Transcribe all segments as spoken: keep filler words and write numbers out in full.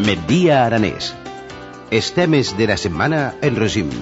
Migdia Aranès. Els temes de la setmana en resum.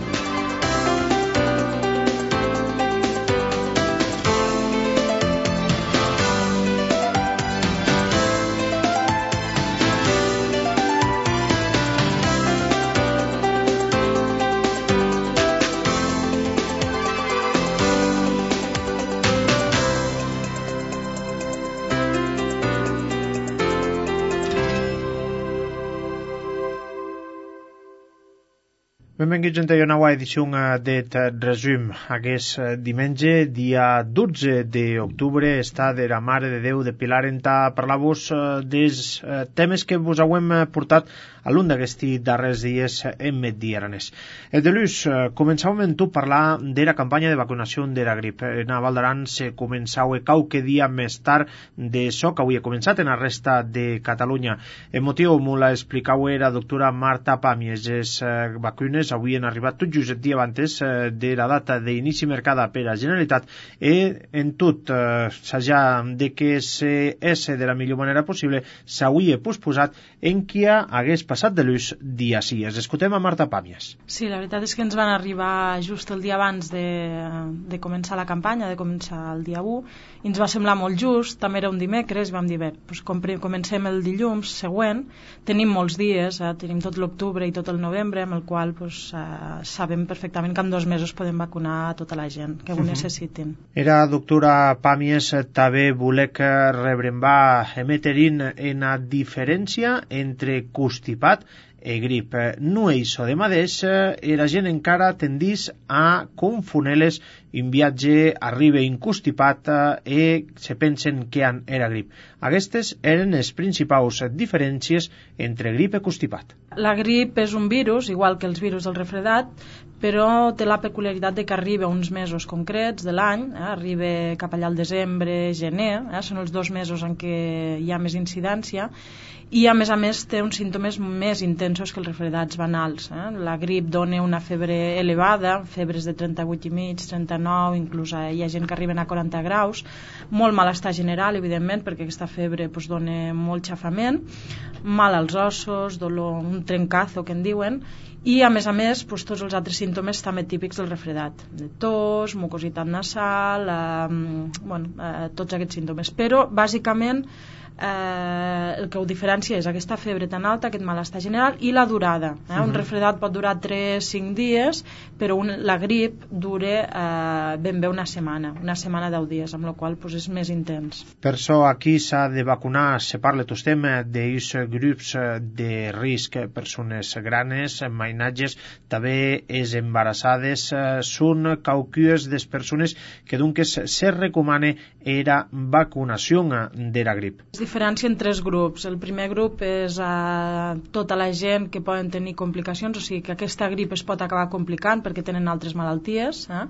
Benvinguts a una nova edició d'aquest resum. Aquest diumenge, dia dotze d'octubre, està de la Mare de Déu de Pilar en ta parlar-vos dels temes que vos hem portat a l'un d'aquests darrers dies en Migdia Aranès. El de l'ús, començàvem amb tu a parlar de la campanya de vacunació de la grip. En a Val d'Aran se començava qualque dia més tard d'això que avui ha començat en la resta de Catalunya. El motiu m'ho l'explicava la doctora Marta Pàmies. Les vacunes avui han arribat tot just el dia abans de la data d'inici mercada per a la Generalitat i en tot s'ha de que és de la millor manera possible s'hauria posposat en qui hagués passat de l'ús dia sí. Es escoltem a Marta Pàmies. Sí, la veritat és que ens van arribar just el dia abans de, de començar la campanya, de començar el dia u, i ens va semblar molt just, també era un dimecres, i vam dir, bé, doncs comencem el dilluns següent, tenim molts dies, eh, tenim tot l'octubre i tot el novembre, amb el qual doncs, eh, sabem perfectament que en dos mesos podem vacunar a tota la gent que ho uh-huh. necessitin. Era doctora Pàmies, també volec rebrembar emeterin en la diferència entre constipat i grip. No és això de mateix, i la gent encara tendís a confonar-les. Un viatge arriba inconstipat i se pensen que era grip. Aquestes eren les principals diferències entre grip i constipat. La grip és un virus, igual que els virus del refredat, però té la peculiaritat de que arriba uns mesos concrets de l'any, eh, arriba cap allà al desembre, gener, eh, són els dos mesos en què hi ha més incidència, i a més a més té uns símptomes més intensos que els refredats banals. Eh? La grip dona una febre elevada, febres de trenta-vuit i mig, trenta-nou, inclús hi ha gent que arriben a quaranta graus, molt malestar general, evidentment, perquè aquesta febre pues, dona molt xafament, mal als ossos, dolor, un trencazo que en diuen, i a més a més pues, tots els altres símptomes també típics del refredat, de tos, mucositat nasal, eh, bueno, eh, tots aquests símptomes, però bàsicament Eh, el que ho diferencia és aquesta febre tan alta, aquest malestar general i la durada, eh? uh-huh. Un refredat pot durar tres a cinc dies, però un, la grip dura eh, ben bé una setmana una setmana deu dies, amb la qual pues, és més intens. Per això aquí s'ha de vacunar, se parla tot tema d'aquests grups de risc, persones granes, mainatges, també és embarassades, són caucues de persones que dunques se recomana era vacunació de la grip. Es diferencia en tres grups. El primer grup és a tota la gent que poden tenir complicacions, o sigui que aquesta grip es pot acabar complicant perquè tenen altres malalties. Eh?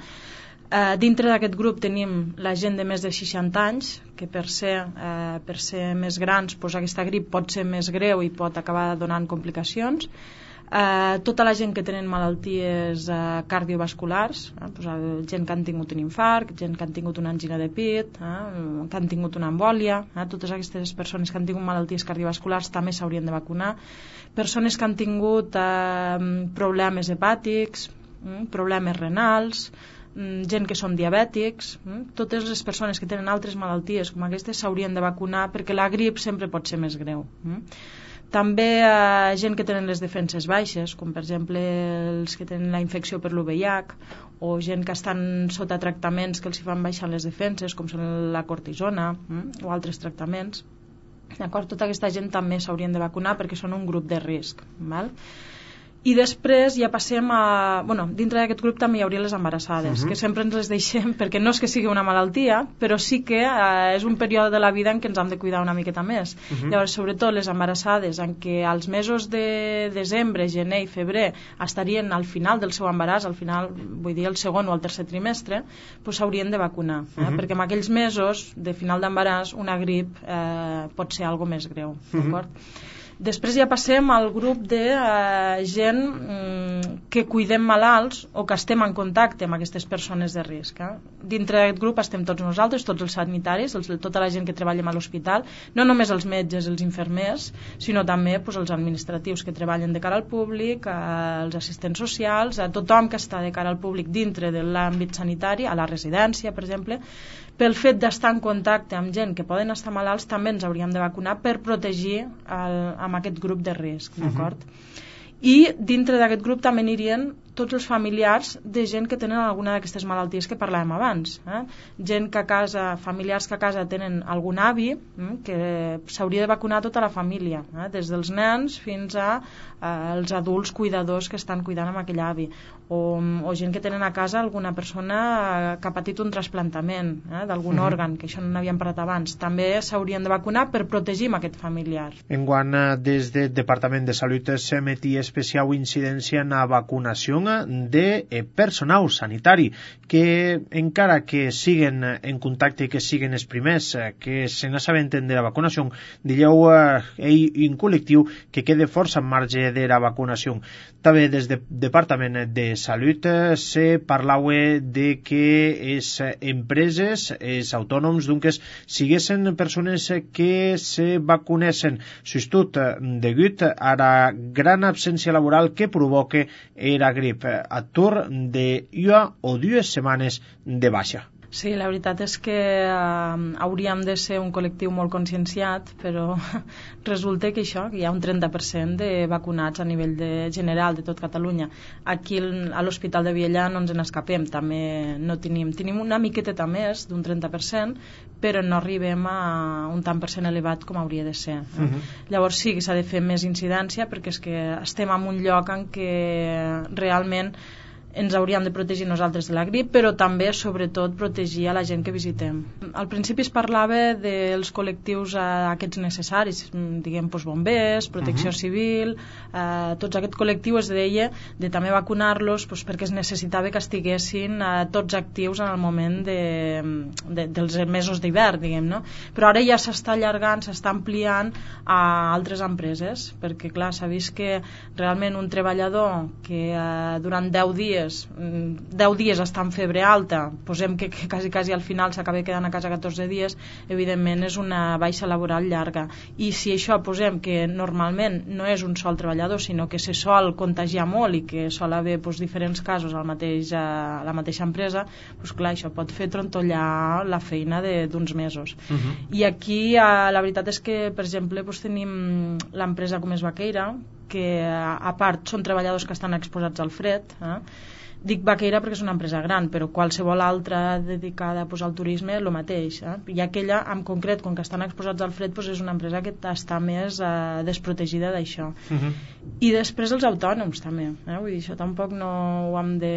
Eh, dintre d'aquest grup tenim la gent de més de seixanta anys, que per ser, eh, per ser més grans doncs aquesta grip pot ser més greu i pot acabar donant complicacions. Eh, tota la gent que tenen malalties eh, cardiovasculars, eh, doncs, gent que han tingut un infart, gent que han tingut una angina de pit, eh, que han tingut una embòlia, eh, totes aquestes persones que han tingut malalties cardiovasculars també s'haurien de vacunar. Persones que han tingut eh, problemes hepàtics, eh, problemes renals, eh, gent que són diabètics, eh, totes les persones que tenen altres malalties com aquestes s'haurien de vacunar perquè la grip sempre pot ser més greu. Eh. També eh, gent que tenen les defenses baixes, com per exemple els que tenen la infecció per l'U V I H o gent que estan sota tractaments que els hi fan baixar les defenses, com són la cortisona eh, o altres tractaments. D'acord? Tota aquesta gent també s'haurien de vacunar perquè són un grup de risc. Val? I després ja passem a... Bueno, dintre d'aquest grup també hi hauria les embarassades, uh-huh. que sempre ens les deixem perquè no és que sigui una malaltia, però sí que eh, és un període de la vida en què ens hem de cuidar una miqueta més. Uh-huh. Llavors, sobretot les embarassades, en què als mesos de desembre, gener i febrer estarien al final del seu embaràs, al final, vull dir, el segon o el tercer trimestre, doncs s'haurien de vacunar, eh? uh-huh. perquè en aquells mesos de final d'embaràs una grip eh, pot ser algo més greu, uh-huh. d'acord? Després ja passem al grup de eh, gent mm, que cuidem malalts o que estem en contacte amb aquestes persones de risc. Eh? Dintre d'aquest grup estem tots nosaltres, tots els sanitaris, els, tota la gent que treballa a l'hospital, no només els metges, els infermers, sinó també pues, els administratius que treballen de cara al públic, eh, els assistents socials, a tothom que està de cara al públic dintre de l'àmbit sanitari, a la residència, per exemple. Pel fet d'estar en contacte amb gent que poden estar malalts, també ens hauríem de vacunar per protegir el, amb aquest grup de risc, d'acord? Uh-huh. I dintre d'aquest grup també anirien tots els familiars de gent que tenen alguna d'aquestes malalties que parlàvem abans. Eh? Gent que a casa, familiars que a casa tenen algun avi, eh? que s'hauria de vacunar tota la família, eh? des dels nens fins a eh, els adults cuidadors que estan cuidant amb aquell avi. O, o gent que tenen a casa alguna persona que ha patit un trasplantament eh? d'algun mm-hmm. òrgan, que això no n'havíem parlat abans. També s'haurien de vacunar per protegir aquest familiar. Enguany, des del Departament de Salut s'emetia especial incidència en la vacunació de personal sanitari que encara que siguen en contacte i que siguen els primers que se n'assabenten de la vacunació, dieu eh, en col·lectiu que quede força en marge de la vacunació. També des del Departament de Salut se parlava de que les empreses, els autònoms, doncs, siguessin persones que se vacunessin, sobretot degut a la gran absència laboral que provoca la grip, atur de una o dues setmanes de baixa. Sí, la veritat és que eh, hauríem de ser un col·lectiu molt conscienciat, però resulta que això, que hi ha un trenta per cent de vacunats a nivell de general de tot Catalunya. Aquí a l'Hospital de Vielha no ens n'escapem, també no tenim, tenim una miqueta més d'un trenta per cent, però no arribem a un tant per cent elevat com hauria de ser. Eh? Uh-huh. Llavors sí que s'ha de fer més incidència, perquè és que estem en un lloc en què realment ens hauríem de protegir nosaltres de la grip, però també, sobretot, protegir a la gent que visitem. Al principi es parlava dels col·lectius eh, aquests necessaris, diguem, doncs, bombers, protecció uh-huh. civil, eh, tots aquest col·lectiu es deia de també vacunar-los doncs, perquè es necessitava que estiguessin eh, tots actius en el moment de, de, dels mesos d'hivern, diguem, no? Però ara ja s'està allargant, s'està ampliant a altres empreses, perquè, clar, s'ha vist que realment un treballador que eh, durant deu dies deu dies està en febre alta, posem que, que quasi, quasi al final s'acaba quedant a casa catorze dies, evidentment és una baixa laboral llarga. I si això posem que normalment no és un sol treballador, sinó que se sol contagiar molt i que sol haver doncs, diferents casos al mateix, a la mateixa empresa, doncs, clar, això pot fer trontollar la feina d'uns mesos. Uh-huh. I aquí eh, la veritat és que, per exemple, doncs, tenim l'empresa com és Vaqueira, que a part són treballadors que estan exposats al fred, eh? Dic Vaqueira perquè és una empresa gran, però qualsevol altra dedicada pues, al turisme el mateix, eh? I aquella en concret, com que estan exposats al fred, pues, és una empresa que està més eh, desprotegida d'això. Uh-huh. I després els autònoms també, eh? Vull dir, això tampoc no ho hem, de,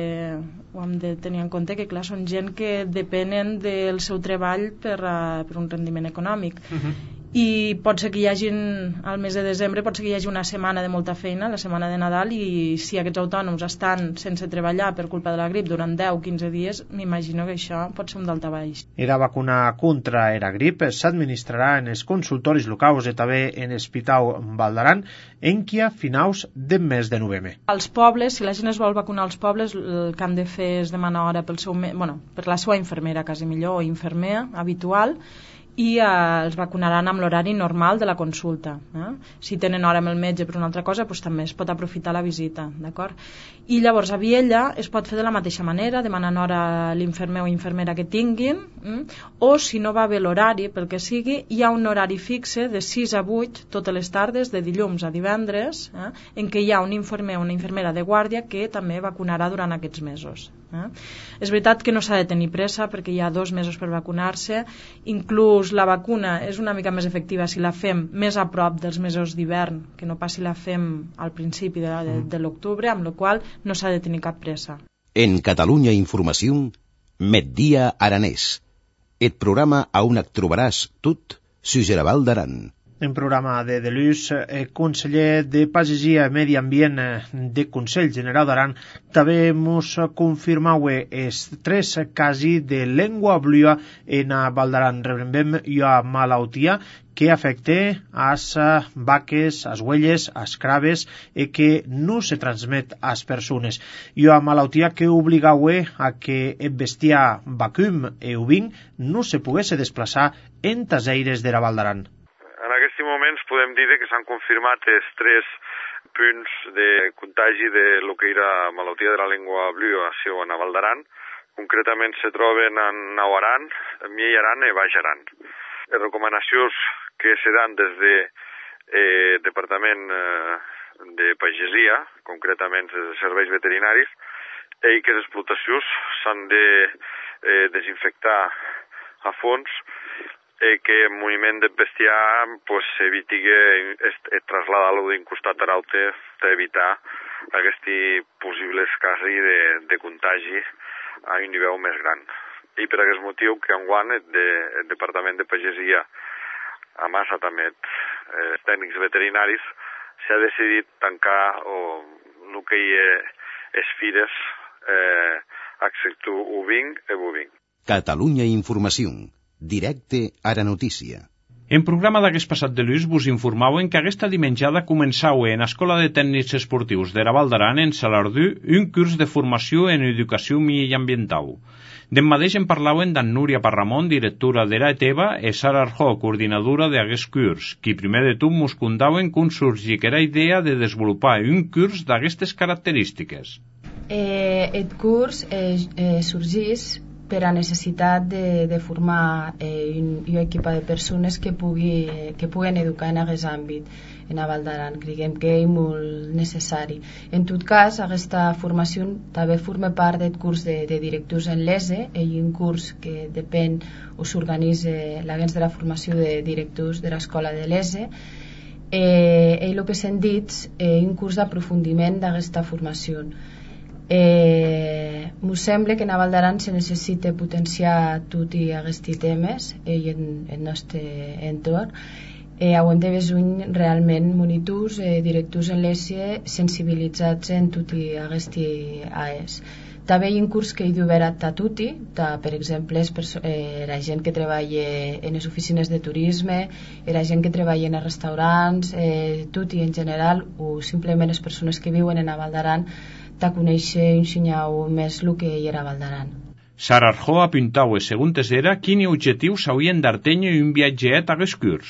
ho hem de tenir en compte, que clar, són gent que depenen del seu treball per, uh, per un rendiment econòmic. Uh-huh. I pot ser que hi hagi, al mes de desembre, pot ser que hi hagi una setmana de molta feina, la setmana de Nadal, i si aquests autònoms estan sense treballar per culpa de la grip durant deu o quinze dies, m'imagino que això pot ser un daltabaix. La vacuna contra la grip s'administrarà en els consultoris locals i també en l'Hospital Vall d'Aran en qui a finals del mes de novembre. Als pobles, si la gent es vol vacunar als pobles, el que han de fer és demanar hora pel seu, bueno, per la seva infermera, quasi millor, o infermer habitual, i eh, els vacunaran amb l'horari normal de la consulta. Eh? Si tenen hora amb el metge per una altra cosa, doncs també es pot aprofitar la visita, d'acord? I llavors a Vielha es pot fer de la mateixa manera, demanant hora a l'infermer o infermera que tinguin, eh? O si no va bé l'horari, pel que sigui, hi ha un horari fixe de sis a vuit totes les tardes, de dilluns a divendres, eh? En què hi ha un infermer o una infermera de guàrdia que també vacunarà durant aquests mesos. Eh? És veritat que no s'ha de tenir pressa perquè hi ha dos mesos per vacunar-se, inclús la vacuna és una mica més efectiva si la fem més a prop dels mesos d'hivern, que no pas si la fem al principi de, de, de l'octubre, amb la qual no s'ha de tenir cap pressa. En Catalunya Informació, Migdia Aranès, el programa on et trobaràs tot, Sugerabal d'Aran. En programa de Delus, el conseller de Pagesia i Medi Ambient de Consell General d'Aran també mos confirmau els tres casos de lengua blua en Val d'Aran. Rebem una malaltia que afecta as vaques, as huelles, as craves e que no se transmet as persones. I una malaltia que obligau a que el bestiar vacum e ovin no se pogués desplaçar en tas aires de la Val d'Aran. En aquests moments podem dir que s'han confirmat els tres punts de contagi de lo que era malaltia de la llengua blua a la Val d'Aran. Concretament se troben en Nau Aran, Miei Aran i Baix Aran. Les recomanacions que se dan des de eh, Departament eh, de Pagesia, concretament des de serveis veterinaris, i que les explotacions s'han de eh, desinfectar a fons i que el moviment de bestiar pues, eviti que trasladar-lo d'un costat a l'altre per evitar aquests possibles casos de, de contagi a un nivell més gran. I per aquest motiu que enguany el, de, el Departament de Pagesia, a massa també els eh, tècnics veterinaris, s'ha decidit tancar o, el que hi ha les fires eh, excepte ovin i bovin. Catalunya Informació. Directe a la notícia. En programa d'aquest passat de Lluís vos informauen que aquesta dimenjada començau en Escola de Tècnics Esportius de la Val d'Aran en Salardú un curs de formació en educació mediambiental. D'en mateix en parlauen d'en Núria Parramon, directora de la E T E B A, i Sara Arjó, coordinadora d'aquest curs, qui primer de tot mos contaven com sorgí que era idea de desenvolupar un curs d'aquestes característiques. Eh, el curs eh, eh, sorgís per a necessitat de, de formar eh, un, un equip de persones que, pugui, eh, que puguen educar en aquest àmbit en la Val d'Aran. Creiem que és molt necessari. En tot cas, aquesta formació també forma part del curs de, de directius en l'E S E, i un curs que depèn o s'organitza l'agents de la formació de directius de l'escola de l'E S E. Eh, i el que s'han dit és eh, un curs d'aprofundiment d'aquesta formació. Eh, m'ho sembla que en la Val d'Aran se necessita potenciar tots aquests temes i en el nostre entorn. Eh, hem de veure realment monitors, eh, directors en l'E S E sensibilitzats en tots aquests A E S. També hi ha un curs que hi obert a tutti, per exemple, eh, la gent que treballa en les oficines de turisme, la gent que treballa en els restaurants, eh, tutti en general, o simplement les persones que viuen en la Val d'Aran, de conèixer i ensenyar més el que hi era a Val d'Aran. Sara Arjó apuntava, segons era, quin objectiu s'haurien d'artenyo un viatget a aquest curs.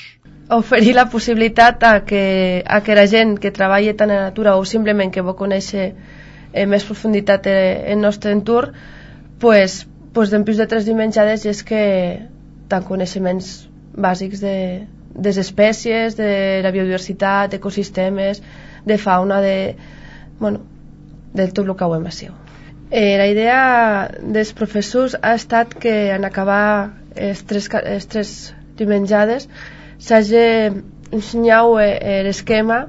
Oferir la possibilitat a que, a que la gent que treballa tant en la natura o simplement que vol conèixer eh, més profunditat en el nostre entorn, pues, pues en plus de tres dimenjades és que tant coneixements bàsics de, de les espècies, de la biodiversitat, d'ecosistemes, de fauna, de... bueno, de tot el que ho hem sigut. Eh, la idea dels professors ha estat que en acabar les tres, les tres dimenjades s'hagi ensenyat eh, l'esquema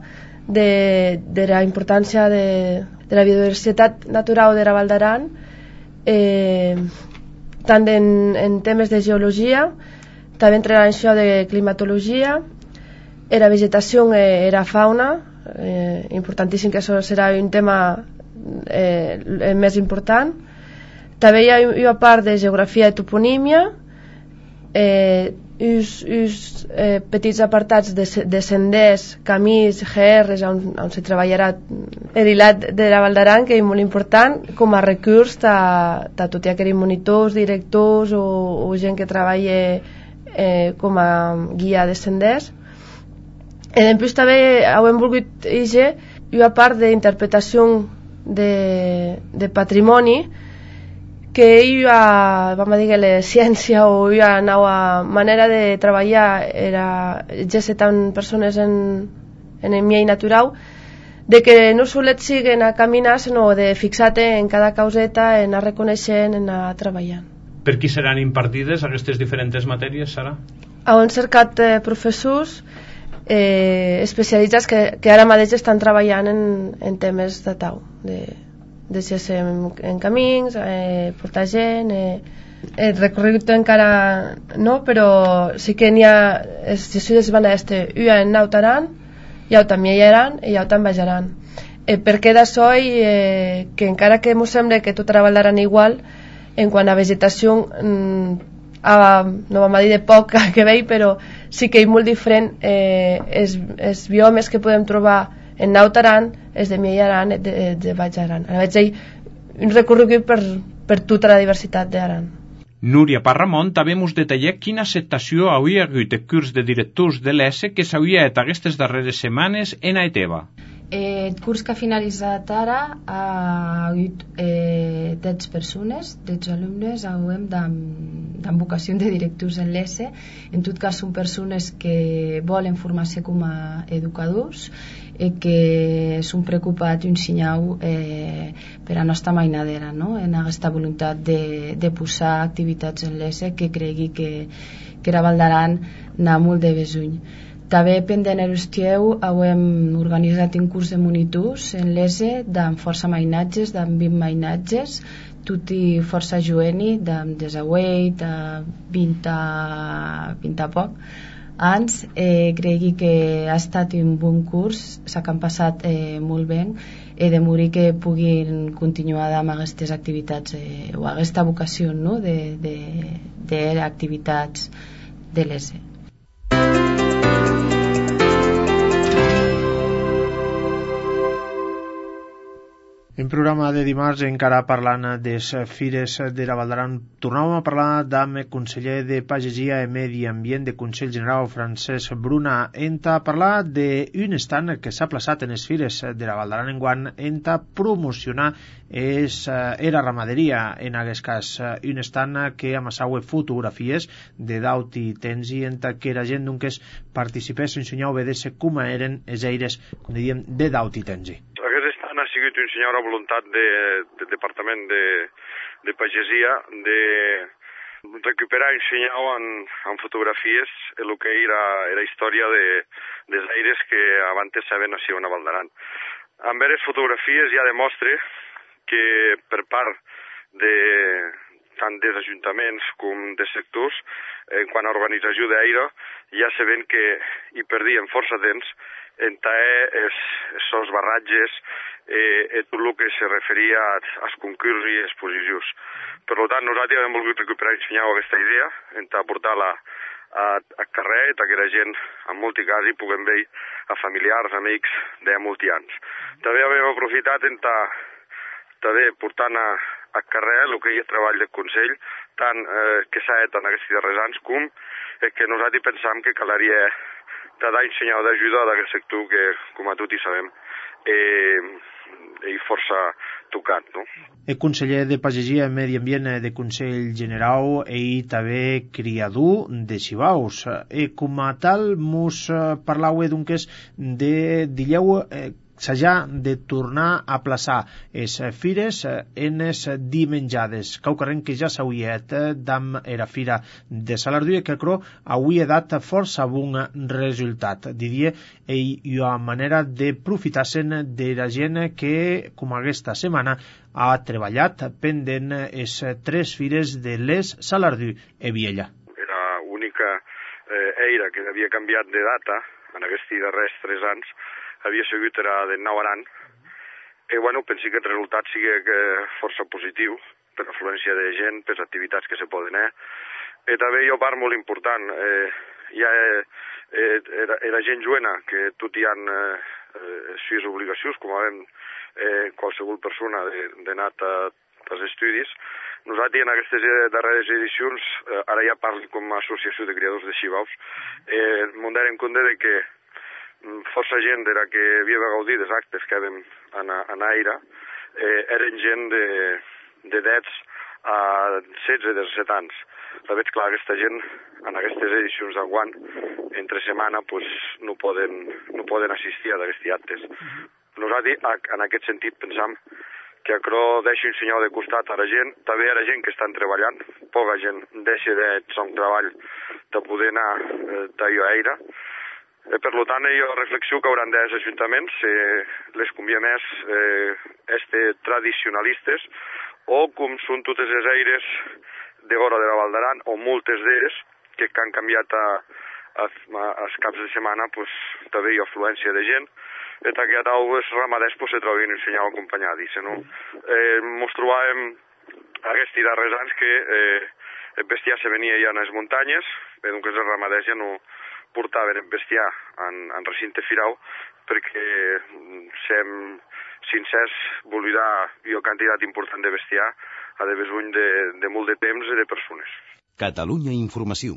de, de la importància de, de la biodiversitat natural de la Val d'Aran, eh, tant en, en temes de geologia, també entre això de climatologia, la vegetació i la fauna, eh, importantíssim que això serà un tema Eh, el més important. També hi ha una part de geografia i toponímia, eh, uns, uns eh, petits apartats de, de senders, camins, G Rs on, on se treballarà el hilat de la Val d'Aran, que és molt important com a recurs de, de tots aquells monitors, directors o, o gent que treballa eh, com a guia de senders. I després també hem volgut dir una part d'interpretació De, de patrimoni, que hi ha, vam dir, la ciència o hi ha una manera de treballar era ja ser tant persones en, en el miei natural, de que no solet siguen a caminar, sinó de fixar-te en cada causeta, en anar reconeixent, en anar treballant. Per qui seran impartides aquestes diferents matèries, Sara? Hem cercat eh, professors Eh, especialitzats que, que ara mateix estan treballant en, en temes de tau, de, de ser en, en camins, eh, portar gent, eh, el recorregut encara no, però sí que n'hi ha els jesuïtes van a este ua en Nautaran, i au també hi aran i au també bajaran. Eh, per què d'això eh, que encara que ens sembla que tot treballaran igual en quant a vegetació mm, a, no vam a dir de poc que veig, però sí que és molt diferent eh, els, els biomes que podem trobar en Nautaran, els de Miaran i de, de Bajaran. Ara veig un recorregut per, per tota la diversitat d'Aran. Núria Parramont també ens detalla quina acceptació hauria hagut de curs de directors de l'E S que s'hauria fet aquestes darreres setmanes en Aeteva. Eh, el curs que ha finalitzat ara ha hagut eh, dotze persones, dotze alumnes amb vocació de directors en l'E S. En tot cas són persones que volen formar-se com a educadors i que són preocupats i ensenyau eh, per a nostra mainadera, no? En aquesta voluntat de, de posar activitats en l'E S que cregui que, que era Valdaran anar molt de besuny. També pendent l'estiu hem organitzat un curs de monitors en l'E S amb força mainatges, amb vint mainatges, tot i força jueni, amb desauet, vint a, vint a poc anys. Eh, cregui que ha estat un bon curs, s'ha que han passat eh, molt bé i de morir que puguin continuar amb aquestes activitats eh, o aquesta vocació, no? de, de, de activitats de l'E S. En programa de dimarts, encara parlant de les fires de la Valdaran, tornàvem a parlar amb el conseller de Pagesia i Medi Ambient de Consell General, Francesc Bruna, enta parlar d'un stand que s'ha plaçat en les fires de la Valdaran enguant enta promocionar és era ramaderia, en aquest cas un stand que amassaue fotografies de daut i tens i enta que la gent doncs participés i ensenyau a veure com eren els eires, com diem, de daut i tens. Ha sigut un senyora voluntat del de, de Departament de, de Pagesia de recuperar i ensenyar en, en fotografies el que era la història de, dels aires que abans saben així a Valdaran. Amb les fotografies ja demostra que per part de tant dels ajuntaments com de sectors, en quant a organització d'aire, ja sabem que hi perdien força temps en taer els, els barratges eh, tot el que se referia als concurs i exposicions. Per tant, nosaltres hem volgut recuperar i ensenyar aquesta idea, en portar-la a, a carrer, que la gent, en molts casos, hi puguem veure a familiars, amics de molts anys. També hem aprofitat en també portant a, a carrer el que hi ha treball del Consell, tant eh, que s'ha fet en aquests darrers anys com eh, que nosaltres pensam que calaria de dar ensenyar d'ajuda d'aquest sector que, com a tots hi sabem, eh, és força tocat, no? El conseller de Pagesia i Medi Ambient de Consell General i també criador de xivaus. I com a tal, mos parlau doncs de dileu eh, s'ha de tornar a plaçar les fires en les dimenjades. Caucarren que ja s'hauria fet d'am era fira de Salardú que crò hauria dat força bon resultat. Diria, i una manera de profitar-se'n de la gent que, com aquesta setmana, ha treballat pendent les tres fires de l'Es, Salardú i Viella. Era l'única eh, eira que havia canviat de data en aquests darrers tres anys, havia sigut era de Nautaran, i bueno, penso que el resultat sigui que força positiu per afluència de gent, per les activitats que se poden fer. I també hi ha part molt important, eh, hi ha eh, era, era gent joena, que tot hi ha eh, sis obligacions, com avem eh, qualsevol persona d'anar als estudis. Nosaltres en aquestes darreres edicions, eh, ara ja parlo com a associació de criadors de xivaus, eh, m'hem en compte de que força gent era que havia de gaudir dels actes que havien en aire, eh, eren gent de, de nets a setze a disset anys. La veig clar, aquesta gent en aquestes edicions d'enguant, entre setmana, pues, no, poden, no poden assistir a aquests actes. Nosaltres, en aquest sentit, pensam que això deixa un senyal de costat a la gent, també a la gent que estan treballant, poca gent deixa de son treball de poder anar eh, d'allò a aire. Eh, per tant, jo reflexio que hauran dels ajuntaments, eh, les convia més eh, este tradicionalistes, o com són totes les aires de Gora de la Val d'Aran, o moltes d'elles, que han canviat a, a, a, als caps de setmana, pues, també hi ha afluència de gent, et que els ramaders pues, se trobin ensenyant acompanyats. No? Eh, mos trobàvem aquests darrers anys que eh, el bestiar se venia ja en les muntanyes, eh, doncs els ramaders ja no portaven el bestiar en, en recinte firau, perquè sem sincers volvirà una quantitat important de bestiar a de besuny de, de molt de temps i de persones. Catalunya Informació.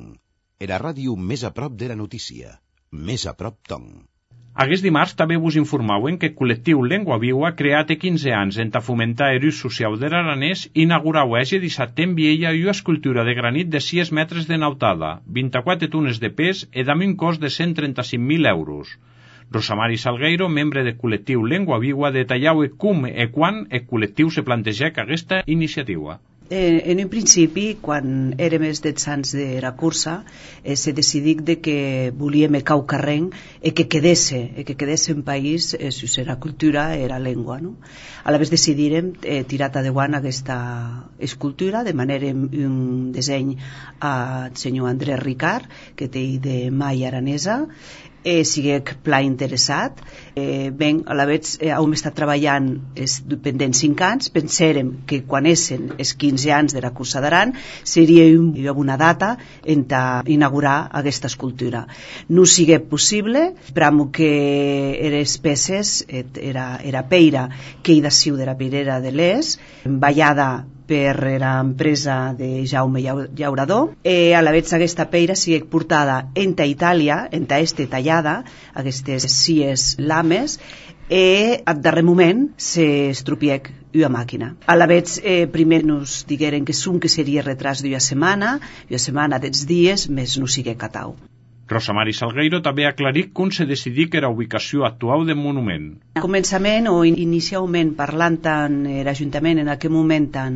Era ràdio més a prop de la notícia. Més a prop ton. Aquest dimarts també vos informauen que el col·lectiu Lengua Viua, creat a quinze anys en ta fomentar l'ús social de l'aranès, inaugurau ese dissabte en Viella una escultura de granit de sis metres de nautada, vint-i-quatre tones de pes i amb un cost de cent trenta-cinc mil euros. Rosamari Salgueiro, membre del col·lectiu Lengua Viua, detallava com i quan el col·lectiu se planteja aquesta iniciativa. Eh, en un principi, quan érem els dets anys de la cursa, eh, se decidic de que volíem cau carreng e que quedesse, e que quedesse en país eh, si era cultura, era llengua, no? A la vegada decidirem eh, tirar endavant aquesta escultura, de manera un disseny al senyor Andrés Ricard, que té de mai aranesa, eh, siguec pla interessat. Eh, ben, a la vegada eh, hem estat treballant els pendents cinc anys, pensèrem que quan essen els quinze anys de la cursa d'Aran seria un, una data en inaugurar aquesta escultura. No sigui possible, però que les peces era, era peira que hi d'aciu de la peirera de l'Es, ballada per l'empresa de Jaume Llaurador, e a la vegada aquesta peira sigui portada en ta Itàlia, en ta este tallada, aquestes sies lames, e al darrer moment s'estrupiec una màquina. A la vegada eh, primer nos digueren que som que seria retras d'una setmana, una setmana dels dies, més no sigui catau. Rosamari Salgueiro també ha aclarit com se decidí que era ubicació actual del monument. A començament o inicialment parlant tant l'Ajuntament en aquell moment tant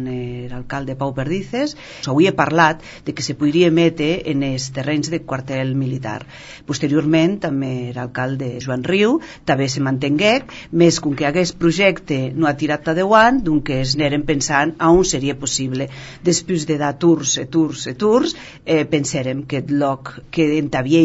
l'alcalde Pau Perdices, s'havia parlat de que se podria emetre en els terrenys de quartel militar. Posteriorment també l'alcalde Joan Riu també se mantengué, més com que aquest projecte no ha tirat endavant, doncs es aneren pensant a on seria possible. Després de dar tours e tours e tours, eh, pensàrem que el lloc que en Taviella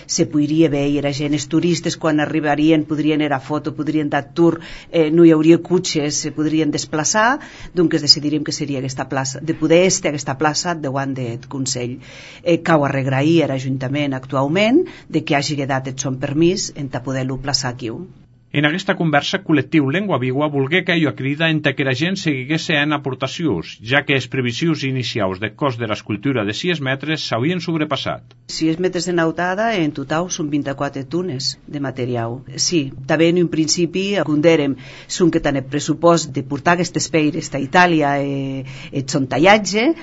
se podria veure, era gent, els turistes quan arribarien podrien era foto, podrien dar tour, eh, no hi hauria cotxes, se podrien desplaçar, doncs decidiríem que seria aquesta plaça, de poder estar aquesta plaça davant del Consell. Eh, cau a regrair a l'Ajuntament actualment de que hagi dat el son permís en ta poder-lo plaçar aquí. En aquesta conversa, col·lectiu Lengua Viua volgué que jo crida en que la gent seguigués en aportacions, ja que les previsions inicials del cost de l'escultura de sis metres s'havien sobrepassat. sis metres de nautada, en total són vint-i-quatre tones de material. Sí, també en un principi acondèrem són que tant el pressupost de portar aquestes peires a Itàlia eh, et son tallatge,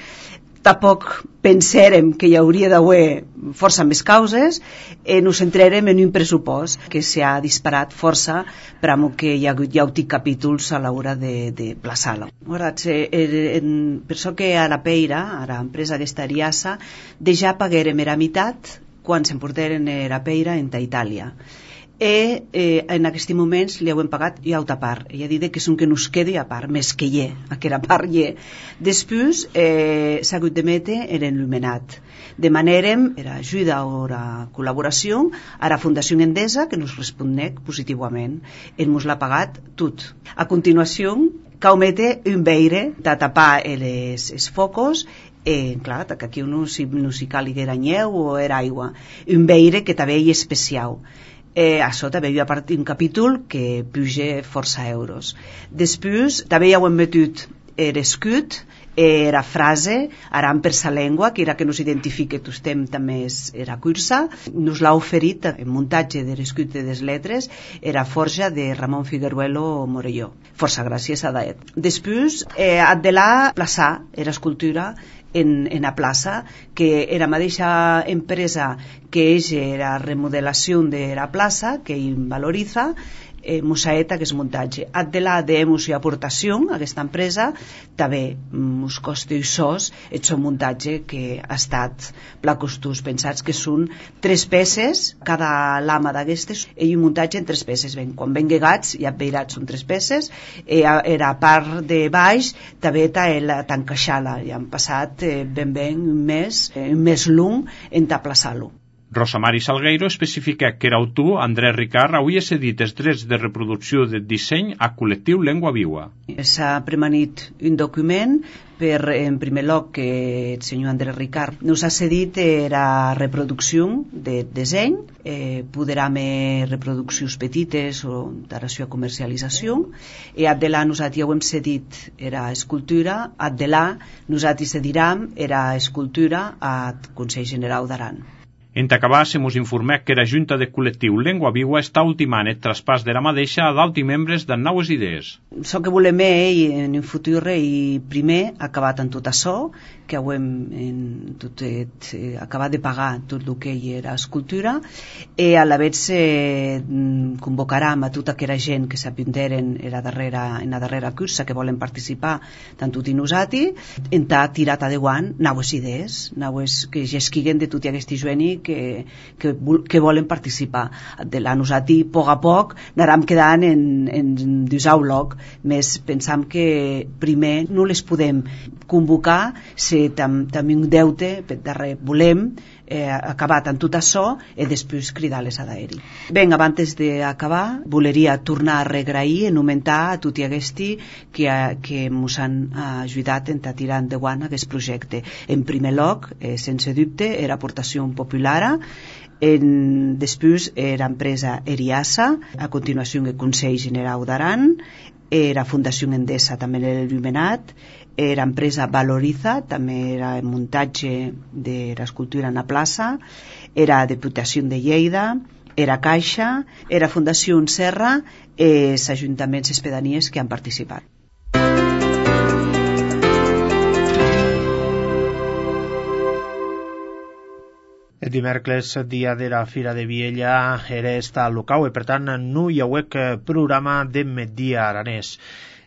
tampoc pensèrem que hi hauria d'haver força més causes, eh, nos centrarem en un pressupost que s'ha disparat força per a que hi ha hagut ja capítols a l'hora de, de plaçar-lo. Per això que a la peira, a l'empresa d'Estariassa, ja paguérem la meitat quan s'emportaren la peira en Itàlia. I eh, en aquests moments li hem pagat i altra part, i ha dit que és un que nos quedi a part, més que hi ha, que era part hi ha. Després eh, s'ha hagut d'emetre l'il·luminat. Demanarem era ajuda o la col·laboració a la Fundació Endesa, que nos respondec positivament. Ell mos l'ha pagat tot. A continuació, cal metre un veire de tapar els, els focos. Eh, clar, que aquí no s'hi no caliguera nyeu o era aigua. Un veire que també hi és especial. Eh, a sota també hi ha un capítol que puja força euros. Després també hi hem metut l'escut, eh, la frase aran per sa llengua, que era que nos identifique tostem també era cursa. Nos l'ha oferit en muntatge de l'escut de les lletres era forja de Ramon Figueruelo Morelló. Força gràcies a Daet. Després eh, ad de la plaçar era escultura en, en la plaça, que era la mateixa empresa que és la remodelació de la plaça, que hi valoriza, eh, Musaeta, que és muntatge. Ad de la demos i aportació, aquesta empresa, també mos costa sos el seu muntatge, que ha estat placostús pensats que són tres peces, cada lama d'aquestes i un muntatge en tres peces. Ben, quan ben gegats ja veirats són tres peces, e era a part de baix també t'encaixar-la, i han passat eh, ben ben un mes eh, un mes long en t'aplaçar-lo. Rosa Mari Salgueiro especifica que era autor Andrés Ricard hauria cedit els drets de reproducció de disseny a col·lectiu Llengua Viva. S'ha premanit un document per, en primer lloc, que el senyor Andrés Ricard nos ha cedit la reproducció de disseny, eh, poderà més reproduccions petites o d'aració a comercialització, i a de là nosaltres ja ho hem cedit era escultura, a de là nosaltres cedirem era escultura al Consell General d'Aran. En acabar, se mos informà que la Junta de Col·lectiu Llengua Viva està ultimant el traspàs de la mateixa a d'altres membres de noves idees. So que volem ell en un futur i primer acabat en tot això, que ho hem en tot, eh, acabat de pagar tot el que hi era escultura, i a la vegada eh, convocarem a tota aquella gent que s'apunteren en la darrera, en la darrera cursa, que volen participar tant tot i nosaltres, en ta tirat adeuant noves idees, noves que ja esquiguen de tot i aquest jueni que, que, que volen participar. De la nosaltres, a poc a poc, anàrem quedant en, en dusau loc, més pensam que primer no les podem convocar, si també tam un deute per darrere volem eh, acabar amb tot això i després cridar-les a d'aeri. Ben, abans d'acabar, voleria tornar a regrair, enumentar a tot i aquesti que, que ens han ajudat a tirar endavant aquest projecte. En primer lloc, eh, sense dubte, era aportació popular. En, després era empresa Eriasa, a continuació el Consell General d'Aran, era Fundació Endesa, també era il·luminat, era empresa Valoriza, també era el muntatge de l'escultura en la plaça, era Diputació de Lleida, era Caixa, era Fundació Serra, i els ajuntaments i pedanies que han participat. El dimecres, dia de la Fira de Viella, era esta local i per tant no hi hauec programa de migdia aranès.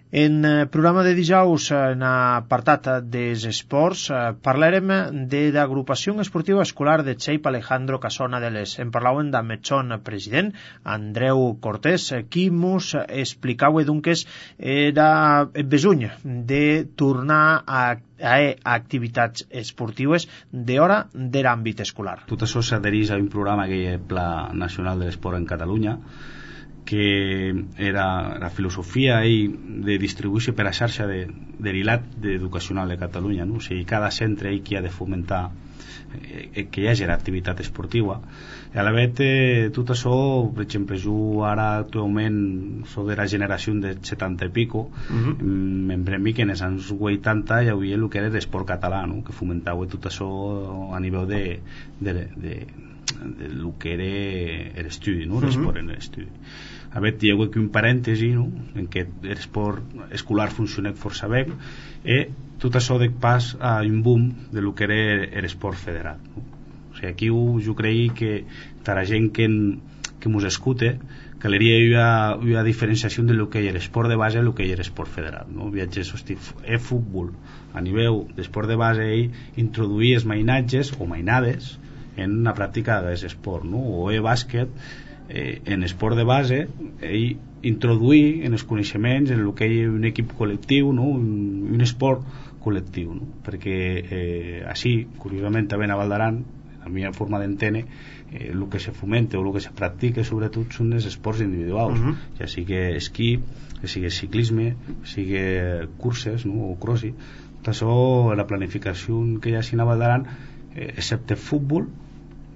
En programa de dijous, en apartat dels esports, parlarem de l'agrupació esportiva escolar de Xeip Alejandro Casona de les. En parlàvem amb el son president, Andreu Cortés, qui mos explicava doncs era el besuny de tornar a a activitats esportives d'hora de l'àmbit escolar. Tot això s'adhereix a un programa que hi ha el Pla Nacional de l'Esport en Catalunya, que era la filosofia de distribuir-se per a xarxa de, de l'I L A T educacional de Catalunya, no? O sigui, cada centre hi ha de fomentar eh, que hi hagi l'activitat esportiva. I a la vegada, eh, tot això, per exemple, jo ara actualment soc de la generació de setanta i pico, uh-huh. em premi que en els anys vuitanta hi havia el que era l'esport català, no? Que fomentava tot això a nivell de, de, de, de, de lo que era l'estudi, no? L'esport uh-huh. en l'estudi. A veure, hi ha un parèntesi, no? En què l'esport escolar funciona força bé, i tot això de pas a un boom de lo que era l'esport federat, no? O sigui, aquí jo, jo crec que per a gent que, que mos escute caldria una diferenciació de lo que hi ha l'esport de base i lo que hi ha l'esport federat, no? Viatges, hosti, el futbol a nivell d'esport de base ell introduir els mainatges o mainades en la pràctica d'aquest esport, no? O el bàsquet eh, en esport de base ell introduir en els coneixements en el que hi ha un equip col·lectiu, no? un, un esport col·lectiu, no? Perquè eh, així, curiosament també a Val d'Aran, la meva forma d'entendre, eh, el que se fomenta o el que se practica sobretot són els esports individuals, uh-huh. ja sigui esquí, ja sigui ciclisme, ja sigui curses, no? O crossi. Tot això, la planificació que hi ha a Val d'Aran, eh, excepte futbol,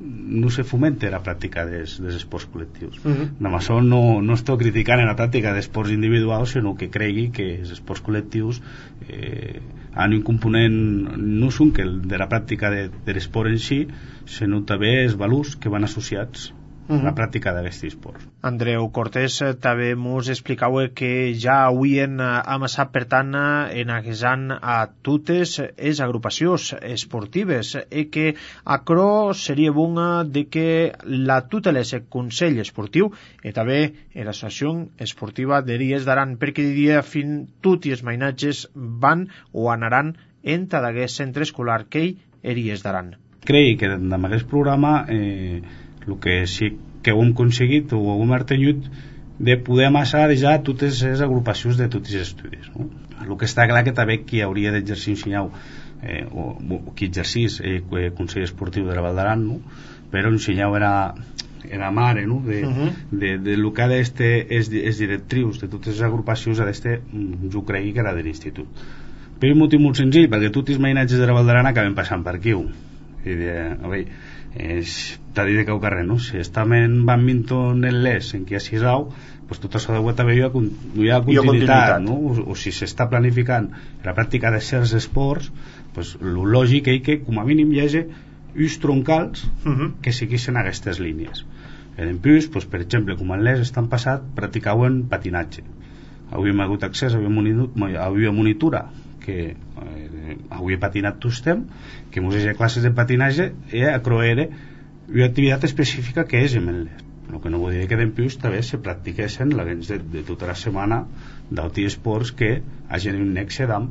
no se fomenta la pràctica dels, dels esports col·lectius. Uh-huh. Amb això no, no estic criticant la pràctica d'esports individuals, sinó que cregui que els esports col·lectius eh, han un component no són que el de la pràctica de, de l'esport en si, sinó també els valors que van associats uh-huh. a la pràctica d'aquests esports. Andreu Cortés també mos explicava que ja havien amassat per tant en aguesant a totes les agrupacions esportives i que acro seria bon de que la tutelés el Consell Esportiu i també l'Associació Esportiva de Ries d'Aran, perquè diria fin tots els mainatges van o anaran en tot aquest centre escolar que ell Eries d'Aran. Crec que amb aquest programa eh, el que sí que ho hem aconseguit o ho hem artenyut de poder amassar ja totes les agrupacions de tots els estudis, no? El que està clar que també qui hauria d'exercir un senyal eh, o, o qui exercís eh, el Consell Esportiu de la Val d'Aran, no? Però un senyal era era mare, no? De, uh -huh. de, de lo que ha d'este és, és directrius de totes les agrupacions ha d'este, jo crec que era de l'institut, per un motiu molt senzill, perquè tots els mainatges de la Val d'Aran acaben passant per aquí. I de, a veure, t'ha dit de cau carrer, no? Si està en badminton en l'Es en què hi ha sisau, pues tot això de web també hi ha, hi ha continuïtat, no? O, o si s'està planificant la pràctica de certs esports, pues el lògic és que com a mínim hi hagi uns troncals uh -huh. que segueixen aquestes línies. En plus, pues, per exemple, com en l'Es estan passat practicaven patinatge. Avui hem hagut accés, avui a monitura que eh, avui he patinat tot el temps, que mos hi ha classes de patinatge i a croere una activitat específica que és en l'Es. El que no vull dir que d'empús també se practiquessin l'abans de, de tota la setmana d'altres esports que hagin un nexe d'am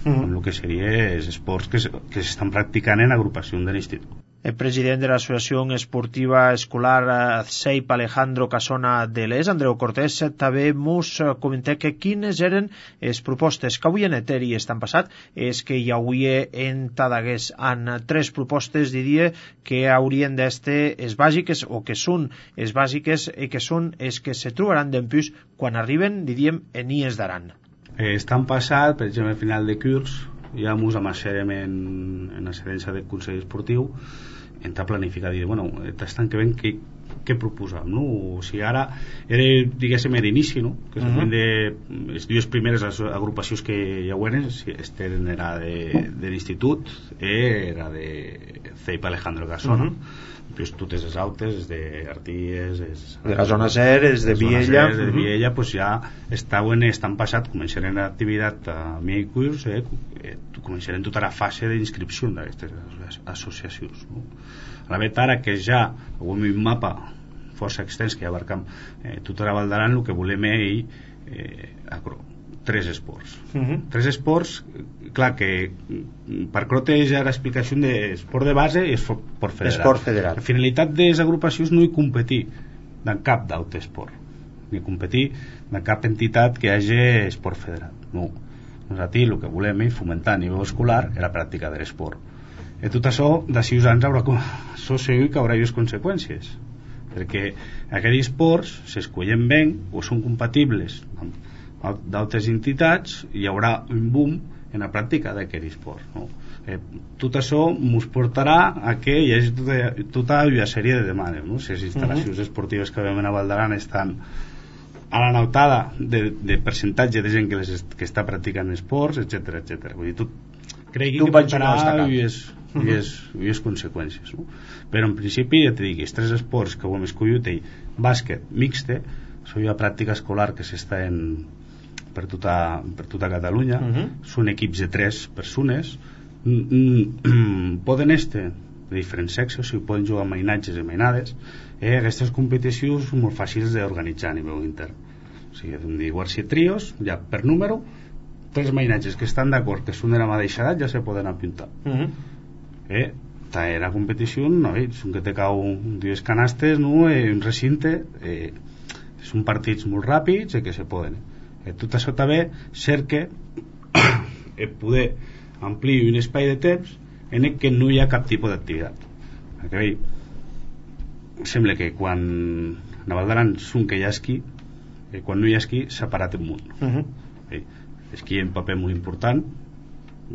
mm. amb el que seria els esports que, que s'estan practicant en agrupació de l'institut. El president de l'Associació Esportiva Escolar Seip Alejandro Casona de l'Es, Andreu Cortés, també mos comenté que quines eren les propostes que avui en Eteri estan passat. És que hi hauria en Tadagués en tres propostes, diria, que haurien d'este les bàsiques, o que són les bàsiques, i que són les que se trobaran d'empús quan arriben, diríem, en Ies d'Aran. Eh, estan passat, per exemple, al final de curs, ja mos amassarem en, en la sedència del Consell Esportiu, entrar a planificar, dir, bueno, estan que ven què, què proposam, no? O sigui, ara era, diguéssim, d'inici, no? Que uh -huh. de les dues primeres agrupacions que hi hauen, este era de, de l'institut, era de Seip Alejandro Casona, uh -huh. pues totes les altres, d'Arties, de la zona ser, és de Viella, de Viella, pues ja estaven, estan passat, començaren l'activitat a mi curs, eh, començaren tota la fase d'inscripció d'aquestes associacions, no? A la vet ara que ja avui un mapa força extens que abarcam eh, tota la Val d'Aran, el que volem és eh, tres esports. Uh -huh. Tres esports, clar que per crotejar l'explicació d'esport de base i esport federal. Esport federal. La finalitat de les agrupacions no és competir en cap d'altre esport, ni competir en cap entitat que hi hagi esport federal. No. Nosaltres el que volem és fomentar a nivell escolar la pràctica de l'esport. I tot això, d'ací uns anys, haurà, això segur que haurà unes conseqüències, perquè aquests esports s'escollen bé o són compatibles amb d'altres entitats, hi haurà un boom en la pràctica d'aquest esport, no? Eh, tot això ens portarà a que hi hagi tota, tota una sèrie de demandes, no? Si les instal·lacions uh -huh. esportives que veiem a Val d'Aran estan a la notada de, de percentatge de gent que, les, que està practicant esports, etcètera, etcètera. Vull dir, tot crec que portarà unes uh-huh. conseqüències, no? Però en principi, ja t'he dit, els tres esports que ho hem escollit, bàsquet, mixte, són una pràctica escolar que s'està en per tota, per tota Catalunya, uh-huh. són equips de tres persones, poden estar de diferents sexes, o sigui, poden jugar amb mainatges i mainades. Eh, aquestes competicions són molt fàcils d'organitzar a nivell intern, o sigui, hem de dir si trios, ja per número, tres mainatges que estan d'acord que són de la mateixa edat ja se poden apuntar. Uh-huh. eh, la competició, no, eh, són que te cau dues canastes, no, eh, un recinte, eh, són partits molt ràpids i que se poden. Eh, tot això també cerca eh, poder ampliar un espai de temps en el que no hi ha cap tipus d'activitat. Perquè bé, sembla que quan a Val d'Aran són que hi ha esquí, eh, quan no hi ha esquí s'ha parat el món. Uh-huh. eh, l'esquí és un paper molt important,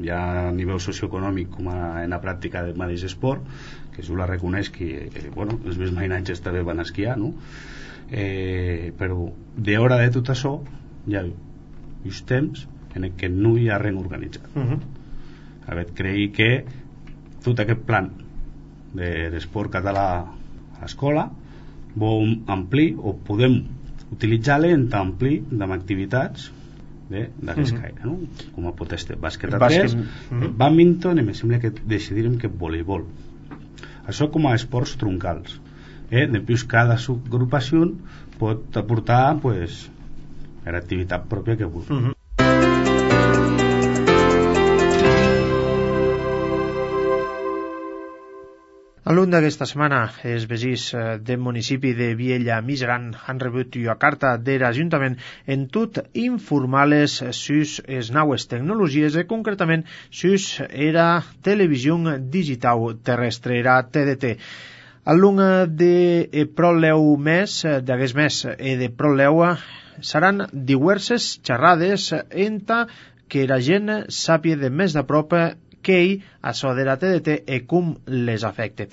ja a nivell socioeconòmic com a, en la pràctica del mateix esport, que jo la reconeix que eh, bueno, els meus mainatges també van esquiar, no? Eh, però d'hora de tot això hi ha uns temps en què no hi ha res organitzat. Uh-huh. A veure, crec que tot aquest plan de l'esport català a l'escola vol amplir o podem utilitzar-lo en amplir amb activitats d'aquest caire, no? Com a pot estar bàsquet a tres, uh-huh. badminton, i em sembla que decidirem que voleibol. Això com a esports troncals. Eh? Després cada subgrupació pot aportar pues, l'activitat pròpia que vulgui. Uh-huh. Algun d'aquesta setmana, els veïns del municipi de Viella Mijaran han rebut una carta de l'Ajuntament en tot informales sus les noves tecnologies i concretament sus la televisió digital terrestre, la T D T. Algun de proleu mes, d'aquest mes i de proleu, seran diverses xerrades enta que la gent sàpia de més de prop què hi això de la T D T i com les afecta.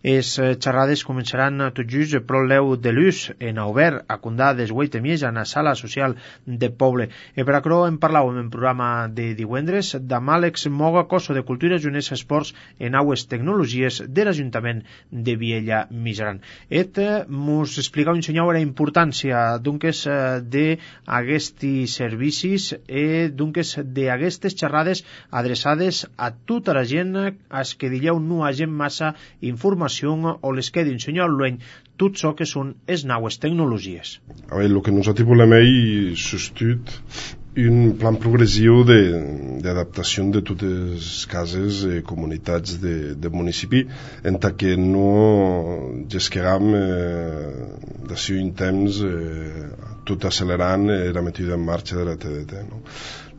Les xerrades començaran tot just prou l'eu de l'ús en obert a Condà des vuit i mitja en la sala social de poble. I per això en parlàvem en programa de divendres amb Àlex Moga, Coso de Cultura, Junés Esports i Naues Tecnologies de l'Ajuntament de Viella Mijaran. Et mos explicava un senyor la importància d'unques d'aquests servicis i d'unques d'aquestes xerrades adreçades a tota la gent als que dieu no hagin massa informació o les que d'ensenyar l'any tot això que són les noves tecnologies. A veure, el que nosaltres volem és substituir un plan progressiu d'adaptació de, de totes les cases i comunitats de, de municipi en que no gesqueram eh, d'ací un temps eh, tot accelerant eh, la metida en marxa de la T D T. No?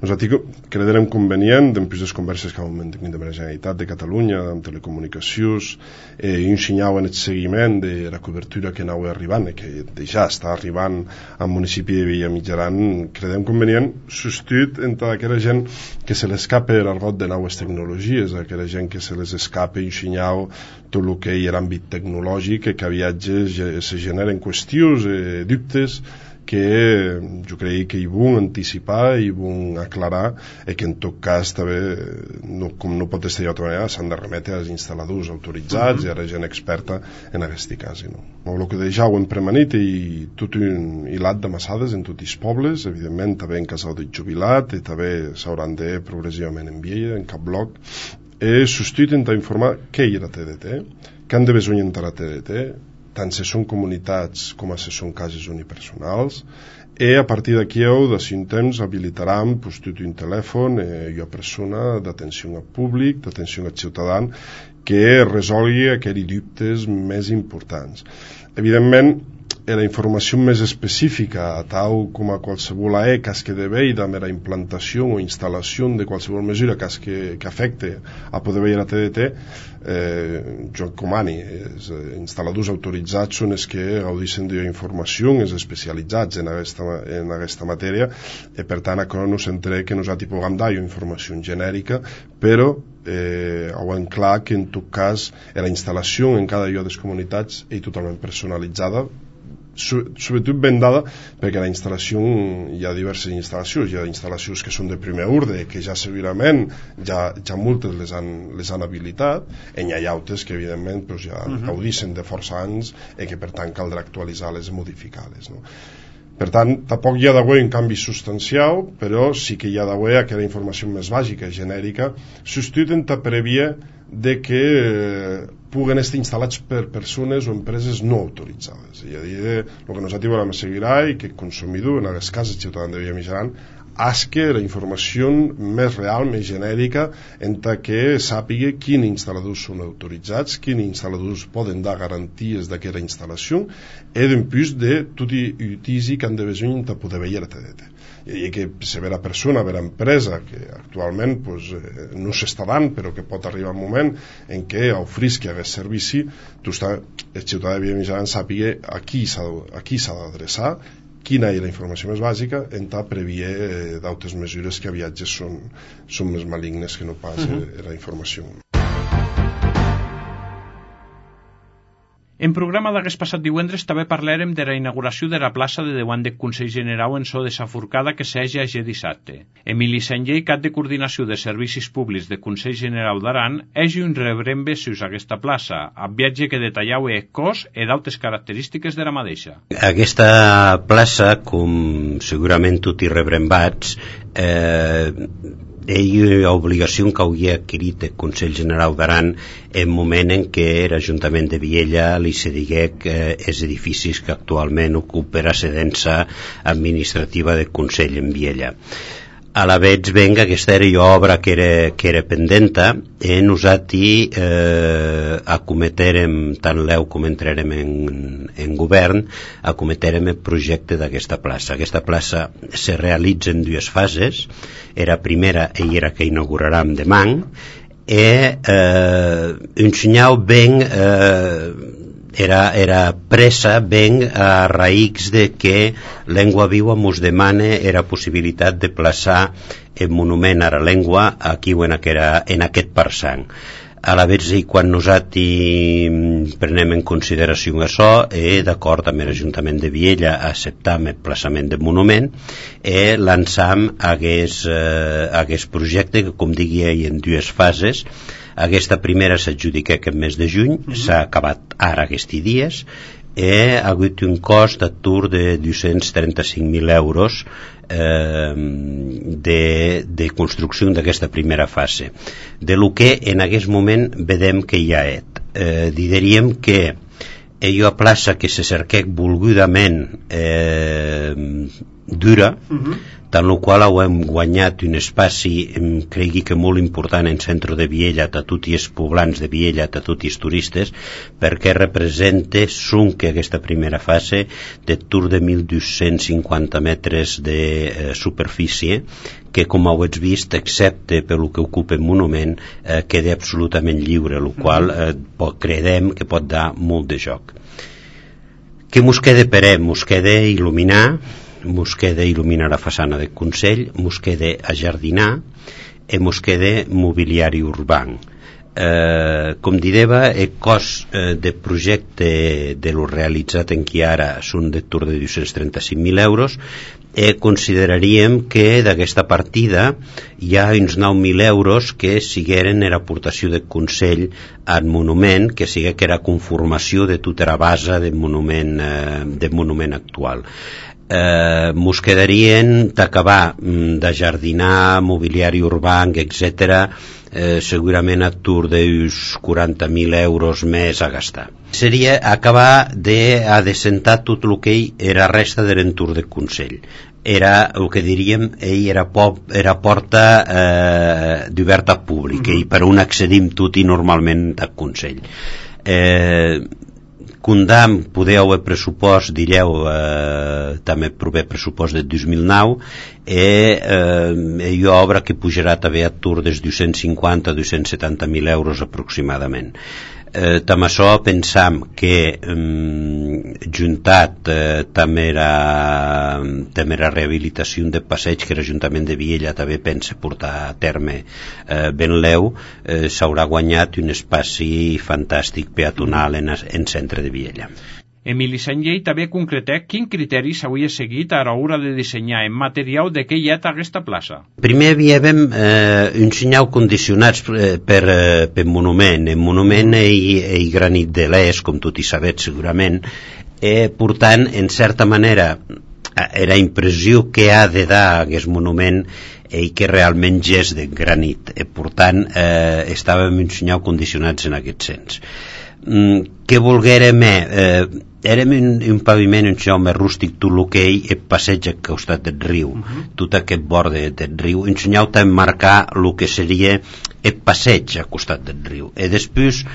Nosaltres creiem convenient, després de les converses que vam mantenir amb la Generalitat de Catalunya, amb telecomunicacions, eh, i un senyal en el seguiment de la cobertura que anava arribant, i que ja està arribant al municipi de Viella Mijaran, creiem convenient substituir entre aquella gent que se l'escape l'argot de noves tecnologies, aquella gent que se les escape un senyal tot el que hi ha l'àmbit tecnològic, que a viatges se generen qüestions, eh, dubtes, que jo crec que hi vull anticipar i vull aclarar i que en tot cas també, no, com no pot estar d'altra manera, s'han de remetre als instal·ladors autoritzats uh -huh. i a la gent experta en aquest cas. No? El que ja ho hem premanit i tot un hilat de massades en tots els pobles, evidentment també en casal de jubilat i també s'hauran de progressivament en Viella, en cap bloc, i substituir intentar informar què hi ha la T D T, què han de besonir entrar a la T D T, tant si són comunitats com si són cases unipersonals, i a partir d'aquí de cinc temps habilitaran pues, tot un telèfon i una persona d'atenció al públic, d'atenció al ciutadà, que resolgui aquells dubtes més importants. Evidentment, la informació més específica, tal com a qualsevol E que es quede veida amb la implantació o instal·lació de qualsevol mesura que, es que, que afecte a poder veure la T D T, eh, jo encomani. Els eh, instal·ladors autoritzats són els que gaudeixen d'informació, els especialitzats en aquesta, en aquesta matèria, i per tant, això no s'entre que nosaltres puguem dar informació genèrica, però eh, ho hem clar que en tot cas la instal·lació en cada lloc de les comunitats és totalment personalitzada, sobretot ben dada perquè la instal·lació, hi ha diverses instal·lacions, hi ha instal·lacions que són de primer ordre, que ja segurament ja, ja moltes les han, les han habilitat, i hi ha altres que evidentment pues, ja uh-huh. gaudeixen de força anys i que per tant caldrà actualitzar-les i modificar-les. No? Per tant, tampoc hi ha d'haver un canvi substancial, però sí que hi ha d'haver aquella informació més bàsica i genèrica, substituint a prèvia de que eh, puguen estar instal·lats per persones o empreses no autoritzades. És a dir, el que nosaltres volem assegurar i que el consumidor, en aquest cas el ciutadà de Viella Mijaran, asque la informació més real, més genèrica, en que sàpiga quins instal·ladors són autoritzats, quins instal·ladors poden dar garanties d'aquesta instal·lació, i després de tot l'utisi que han de besonir per poder veure la T D T. I que si vera persona, vera empresa, que actualment pues, eh, no s'està dant, però que pot arribar un moment en què ofrisqui aquest servici, tu està, el ciutadà de Viella Mijaran sàpiga a qui s'ha d'adreçar, quina és la informació més bàsica, en tal previer eh, d'altres mesures que a viatges són, són més malignes que no pas uh-huh. eh, la informació. En programa d'aquest passat divendres també parlarem de la inauguració de la plaça de davant del Consell General en so de Saforcada que s'hagi a dissabte. Emili Sanllei, cap de coordinació de servicis públics del Consell General d'Aran, hagi un rebrembe sus aquesta plaça, amb viatge que detalleu el cos i d'altres característiques de la mateixa. Aquesta plaça, com segurament tot i rebrembats, eh, hi ha obligació que hauria adquirit el Consell General d'Aran en moment en què l'Ajuntament de Viella li se digué que els edificis que actualment ocupa la cedença administrativa del Consell en Viella. a la veig ben que aquesta era jo obra que era, que era pendenta e nosati eh, acometerem, tant l'eu com entrarem en, en govern, acometerem el projecte d'aquesta plaça. Aquesta plaça se realitza en dues fases. Era primera i era que inaugurarem demà, e eh, ensenyau ben eh, era, era presa ben a raïx de que Lengua Viva mos demane era possibilitat de plaçar el monument a la llengua aquí o en, aquera, en aquest parsang. A la vegada, quan nosaltres prenem en consideració això, eh, d'acord amb l'Ajuntament de Viella acceptam el plaçament del monument i eh, lançam aquest, eh, aquest projecte que, com digui, en dues fases. Aquesta primera s'adjudica aquest mes de juny, mm-hmm. s'ha acabat ara aquests dies, i ha hagut un cost d'atur de dos-cents trenta-cinc mil euros eh, de, de construcció d'aquesta primera fase. De lo que en aquest moment vedem que hi ha et. Eh, diríem que allò a plaça que se cerquec volgudament eh, dura, mm-hmm. tant el qual hem guanyat un espaci, cregui que molt important en centre de Viella, a tots els poblans de Viella, a tots els turistes, perquè representa sunque aquesta primera fase de tour de mil dos-cents cinquanta metres de eh, superfície, que com heu vist, excepte pel que ocupa el monument, eh, queda absolutament lliure, el qual eh, credem que pot dar molt de joc. Què mos queda per ell? Mos queda il·luminar, mos queda il·luminar la façana del Consell, mos queda ajardinar i mos queda mobiliari urbà. Eh, com dideva, el cost eh, de projecte de lo realitzat en qui ara són de tour de dos-cents trenta-cinc mil euros i consideraríem que d'aquesta partida hi ha uns nou mil euros que sigueren era aportació del Consell al monument, que siga que era conformació de tota la base del monument, eh, del monument actual. Eh, mos quedarien d'acabar d'ajardinar, mobiliari urbà, etcètera, eh, segurament a tour d'uns quaranta mil euros més a gastar. Seria acabar de adecentar tot el que era resta de l'entorn del Consell. Era el que diríem, ell era, pop, era porta eh, d'oberta pública, mm-hmm. i per on accedim tot i normalment al Consell. Eh, Condam, podeu el pressupost, direu, eh, també prové pressupost del dos mil nou, i eh, hi ha obra que pujarà també a tour dels dos-cents cinquanta a dos-cents setanta mil euros aproximadament. Eh, també això pensam que eh, juntat eh, també la, també la rehabilitació de passeig que l'Ajuntament de Viella també pensa portar a terme eh, ben leu, eh, s'haurà guanyat un espai fantàstic peatonal en, en centre de Viella. Emili Sanllei també concretà quin criteri s'hauria seguit a l'hora de dissenyar en material de què hi ha aquesta plaça. Primer havíem eh, un senyal condicionats eh, per, eh, per monument. El monument i, i granit de l'est, com tot hi sabet segurament, eh, portant, en certa manera, era impressió que ha de dar aquest monument i que realment és de granit. Eh, portant, eh, estàvem un senyal condicionats en aquest sens. Mm, què volguérem eh, érem un, un paviment un senyal més rústic, tot el que ell el passeig al costat del riu, uh-huh. tot aquest borde del riu, un senyal també marcar el que seria el passeig al costat del riu. I després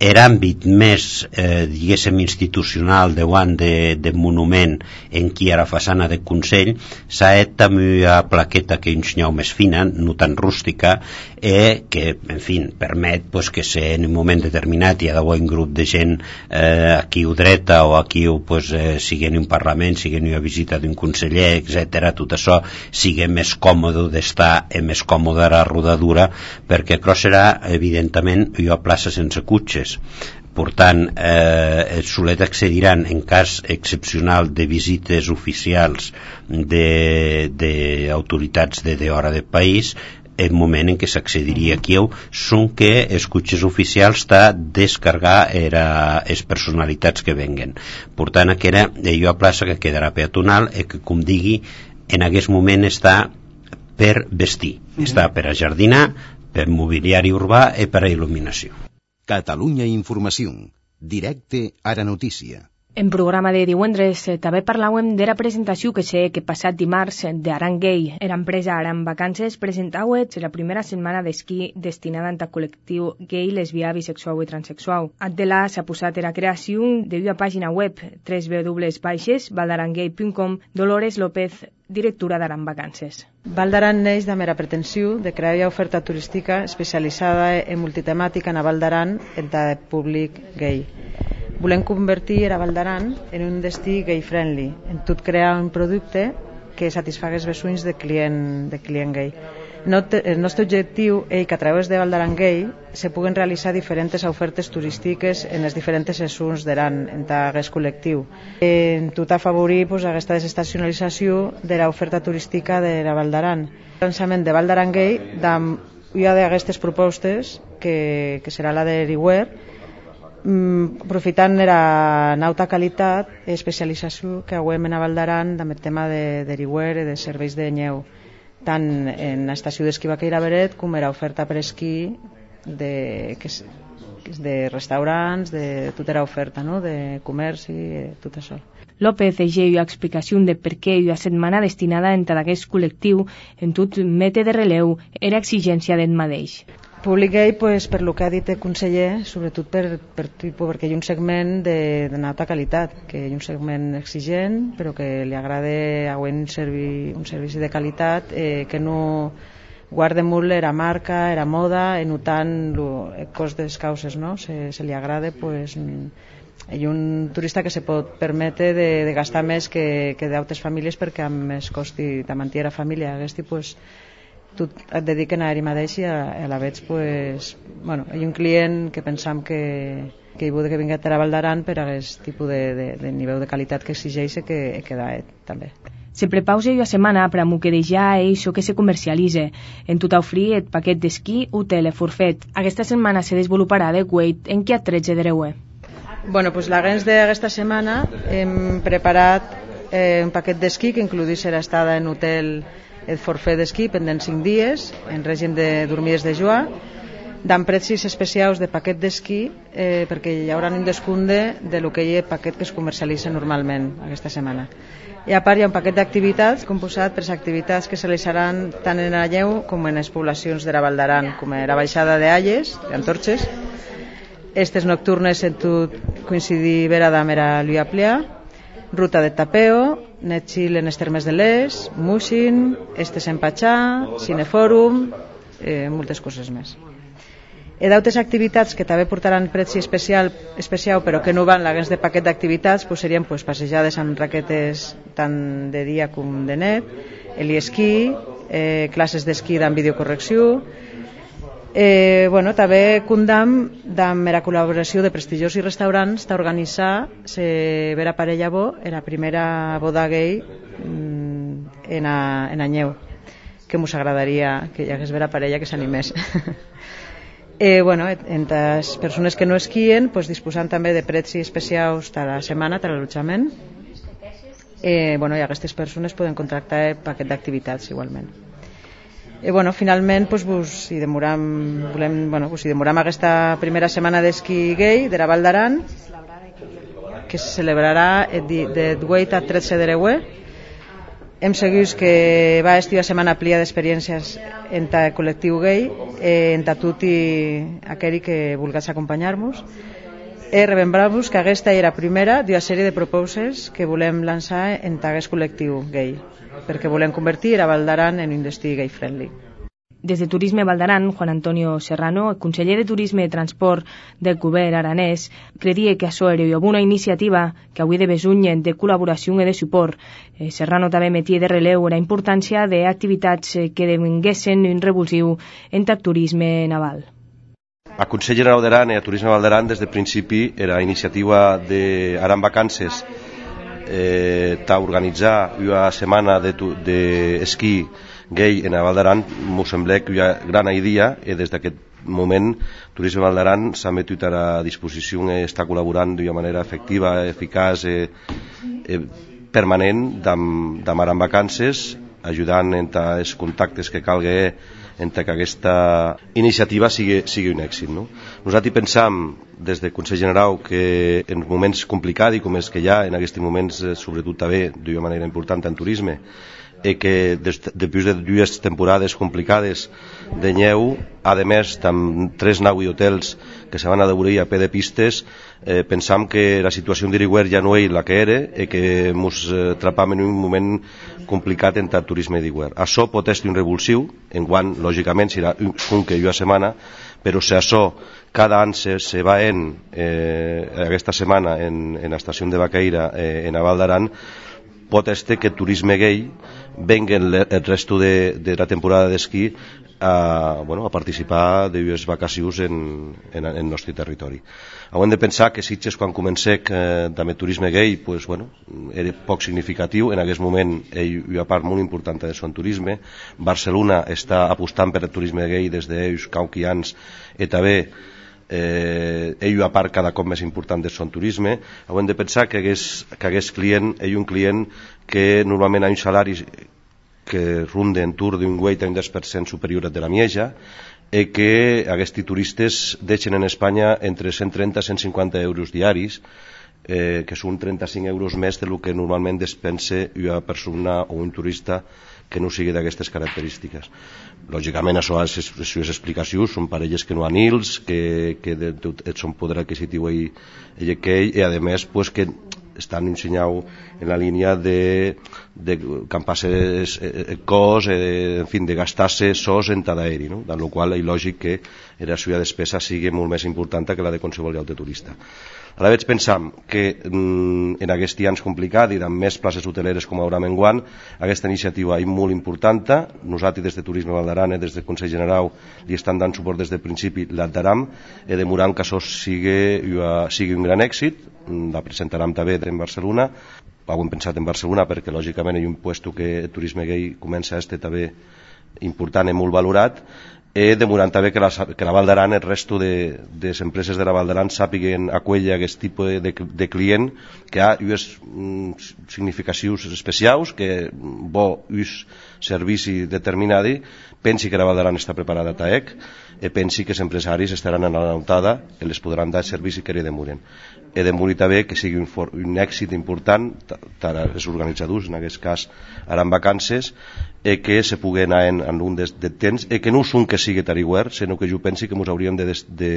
l'àmbit més, eh, diguéssim, institucional davant de, de monument en qui era façana de Consell, s'ha et també a plaqueta que un senyal més fina, no tan rústica, eh, que, en fi, permet pues, que se, en un moment determinat hi ha d'haver un grup de gent eh, aquí o dreta o aquí o pues, eh, siguen un parlament, siguen una visita d'un conseller, etcètera, tot això sigui més còmode d'estar i més còmode a la rodadura, perquè això serà, evidentment, jo a plaça sense cotxes. Per tant, eh, els solet accediran en cas excepcional de visites oficials d'autoritats de, de, de hora del país, el moment en què s'accediria aquí són que els cotxes oficials t'ha descarregar les personalitats que venguen. Per tant, aquella allò a plaça que quedarà peatonal i que, com digui, en aquest moment està per vestir, està per a jardinar, per mobiliari urbà i per a il·luminació. Catalunya Informació. Directe a la notícia. En programa de divendres també parlàvem de la presentació que sé que passat dimarts d'Aran Gay. Era empresa Aran Vacances presentava la primera setmana d'esquí destinada al col·lectiu gay, lesbià, bisexual i transexual. Adela s'ha posat la creació d'una pàgina web w w w punt valdarangay punt com. Dolores López, directora d'Aran Vacances. Valdaran neix de mera pretensió de crear una oferta turística especialitzada en multitemàtica en Valdaran entre el públic gay. Volem convertir a Valdaran en un destí gay-friendly, en tot crear un producte que satisfaga els bessuins de client, de client gay. El nostre objectiu és que a través de Valdaran Gay se puguen realitzar diferents ofertes turístiques en els diferents sessions d'Aran en aquest col·lectiu. En tot afavorir pues, aquesta desestacionalització de l'oferta turística de la Valdaran. El lançament de Valdaran Gay una d'aquestes propostes que, que serà la de Riwer, aprofitant la alta qualitat i especialització que hauem en Valdaran amb el tema de deriwer i de serveis de nyeu, tant en l'estació d'esquí Baqueira Beret com en l'oferta per esquí de, que és, de restaurants, de tota l'oferta, no? De comerç i tot això. López deixa una explicació de per què una setmana destinada a aquest col·lectiu en tot mete de releu era exigència d'ell mateix. Públic gay, pues, per lo que ha dit el conseller, sobretot per, per, perquè hi ha un segment de, de alta qualitat, que hi ha un segment exigent, però que li agrada un, servi, un servici de qualitat eh, que no guarda molt la marca, la moda, i no tant el cost de les causes, no? Se, se li agrada, pues, hi ha un turista que se pot permetre de, de gastar més que, que d'altres famílies perquè amb més costi de mantenir la família. Aquest, pues, tu et dediquen a ell mateix i a, a la veig, pues, bueno, hi ha un client que pensam que, que hi vol que vingui a Valdaran per a aquest tipus de, de, de nivell de qualitat que exigeix que, que da eh, també. Se prepausa una setmana per a moquedejar això que se comercialitza. En tot oferir el paquet d'esquí, hotel i forfet. Aquesta setmana se desenvoluparà de Wait en què tretze de Reuer. Bueno, pues l'agents d'aquesta setmana hem preparat eh, un paquet d'esquí que incluïs l'estada en hotel el forfet d'esquí pendent cinc dies en règim de dormides de joie amb precis especials de paquet d'esquí eh, perquè hi haurà un descompte de lo que hi ha paquet que es comercialitza normalment aquesta setmana. I a part hi ha un paquet d'activitats composat per les activitats que se realitzaran tant en la Lleu com en les poblacions de la Valdaran, com la baixada d'Alles, d'Antorxes, estes nocturnes en tot coincidir vera amb la Lluïa Plea, ruta de tapeo, net chill en els termes de l'Es, Mushin, estes en Patxà, Cinefòrum, eh, moltes coses més. Hi ha d'altres activitats que també portaran preci especial, especial però que no van l'aguens de paquet d'activitats, pues serien pues, passejades amb raquetes tant de dia com de net, heliesquí, eh, classes d'esquí amb videocorrecció. Eh, bueno, també condam amb la col·laboració de prestigiosos restaurants d'organitzar la vera parella bo en la primera boda gay en a, en a Nyeu, que mos agradaria que hi hagués vera parella que s'animés. eh, bueno, entre les persones que no esquien, pues, disposant també de precis especials de la setmana, de l'allotjament. Eh, bueno, i aquestes persones poden contractar el paquet d'activitats igualment. I bueno, finalment pues, pues, si demoram, volem, bueno, pues, si demoram aquesta primera setmana d'esquí gay de la Valdaran, que se celebrarà de vuit a tretze de Reuer. Hem seguit que va estar una setmana plia d'experiències entre el col·lectiu gay, eh, entre tot i aquell que vulgués acompanyar-nos. Eh, Remembrar-vos que aquesta era la primera d'una sèrie de propostes que volem lançar entre aquest col·lectiu gay, perquè volem convertir a Valdaran en un destí gay-friendly. Des de Turisme Valdaran, Juan Antonio Serrano, el conseller de Turisme i Transport del govern aranès, credia que això era una iniciativa que avui de besuny de col·laboració i de suport. Eh, Serrano també metia de releu la importància d'activitats que devinguessin un revulsiu entre el turisme naval. A Consell General d'Aran i a Turisme Valdaran des del principi era iniciativa d'Aran Vacances eh, ta organitzar una setmana d'esquí de gay en Valdaran. M'ho sembla que hi ha gran idea i des d'aquest moment Turisme Valdaran s'ha metut a la disposició i està col·laborant d'una manera efectiva, eficaç i eh, permanent amb Aran Vacances, ajudant entre els contactes que calgui entre que aquesta iniciativa sigui, sigui un èxit. No? Nosaltres pensam des del Consell General que en moments complicats com els que hi ha en aquests moments, sobretot també d'una manera important en turisme, i que després de dues temporades complicades de neu, a més amb tres nau i hotels que se van a d'obrir a peu de pistes, eh, pensam que la situació d'Iriguer ja no és la que era i que ens eh, trapam en un moment complicat en el turisme d'Iriguer. Això pot estar un revulsiu, en quant, lògicament, serà un que una setmana, però si això cada any se, se va en eh, aquesta setmana en, en l'estació de Baqueira, eh, en a Val d'Aran, pot ser que el turisme gay venguen el resto de, de la temporada d'esquí a, bueno, a participar de les vacacions en, en, en el nostre territori. Hem de pensar que Sitges, quan comencé eh, també turisme gay, pues, bueno, era poc significatiu. En aquest moment hi ha una part molt important de son turisme. Barcelona està apostant per el turisme gay des d'ells qualque anys, i també eh, ell a part cada cop més important de son turisme. Hem de pensar que hagués, que hagués client, ell un client que normalment ha un salari que runde en tour d'un vuit a un deu per cent superior de la Mieja, i que aquests turistes deixen en Espanya entre cent trenta i cent cinquanta euros diaris, eh, que són trenta-cinc euros més del que normalment despensa una persona o un turista que no sigui d'aquestes característiques. Lògicament, això és, és, és explicacions, són parelles que no han hils, que, que de, de, de son poder adquisitiu i, i aquell, i a més pues, que estan ensenyant en la línia de, de campar-se cos, eh, en fin, de gastar-se sos en cada aeri, no? En la qual és lògic que la seva despesa sigui molt més important que la de qualsevol altre turista. Ara veig pensant que mm, en aquests anys complicats i amb més places hoteleres com ara enguany, aquesta iniciativa és molt important. Nosaltres des de Turisme Val d'Aran, des del Consell General, li estan dant suport des del principi, l'adheram, i demorant que això sigui, sigui un gran èxit. La presentarem també en Barcelona. Ho hem pensat en Barcelona perquè lògicament hi ha un puesto que el turisme gay comença a estar també important i molt valorat. He demorant també que la, que la Val d'Aran, el resto de, de les empreses de la Val d'Aran sàpiguen acollir aquest tipus de, de client que ha unes mm, significacions especials, que bo uns servici determinat, pensi que la Val d'Aran està preparada a TAEC, i pensi que els empresaris estaran a la notada i les podran dar el servici que li demoren. He demorat també que sigui un, for, un èxit important per als organitzadors, en aquest cas Aran Vacances, i que se pugui anar en, en un de, de temps, i que no és un que sigui tariguer, sinó que jo pensi que ens hauríem de, de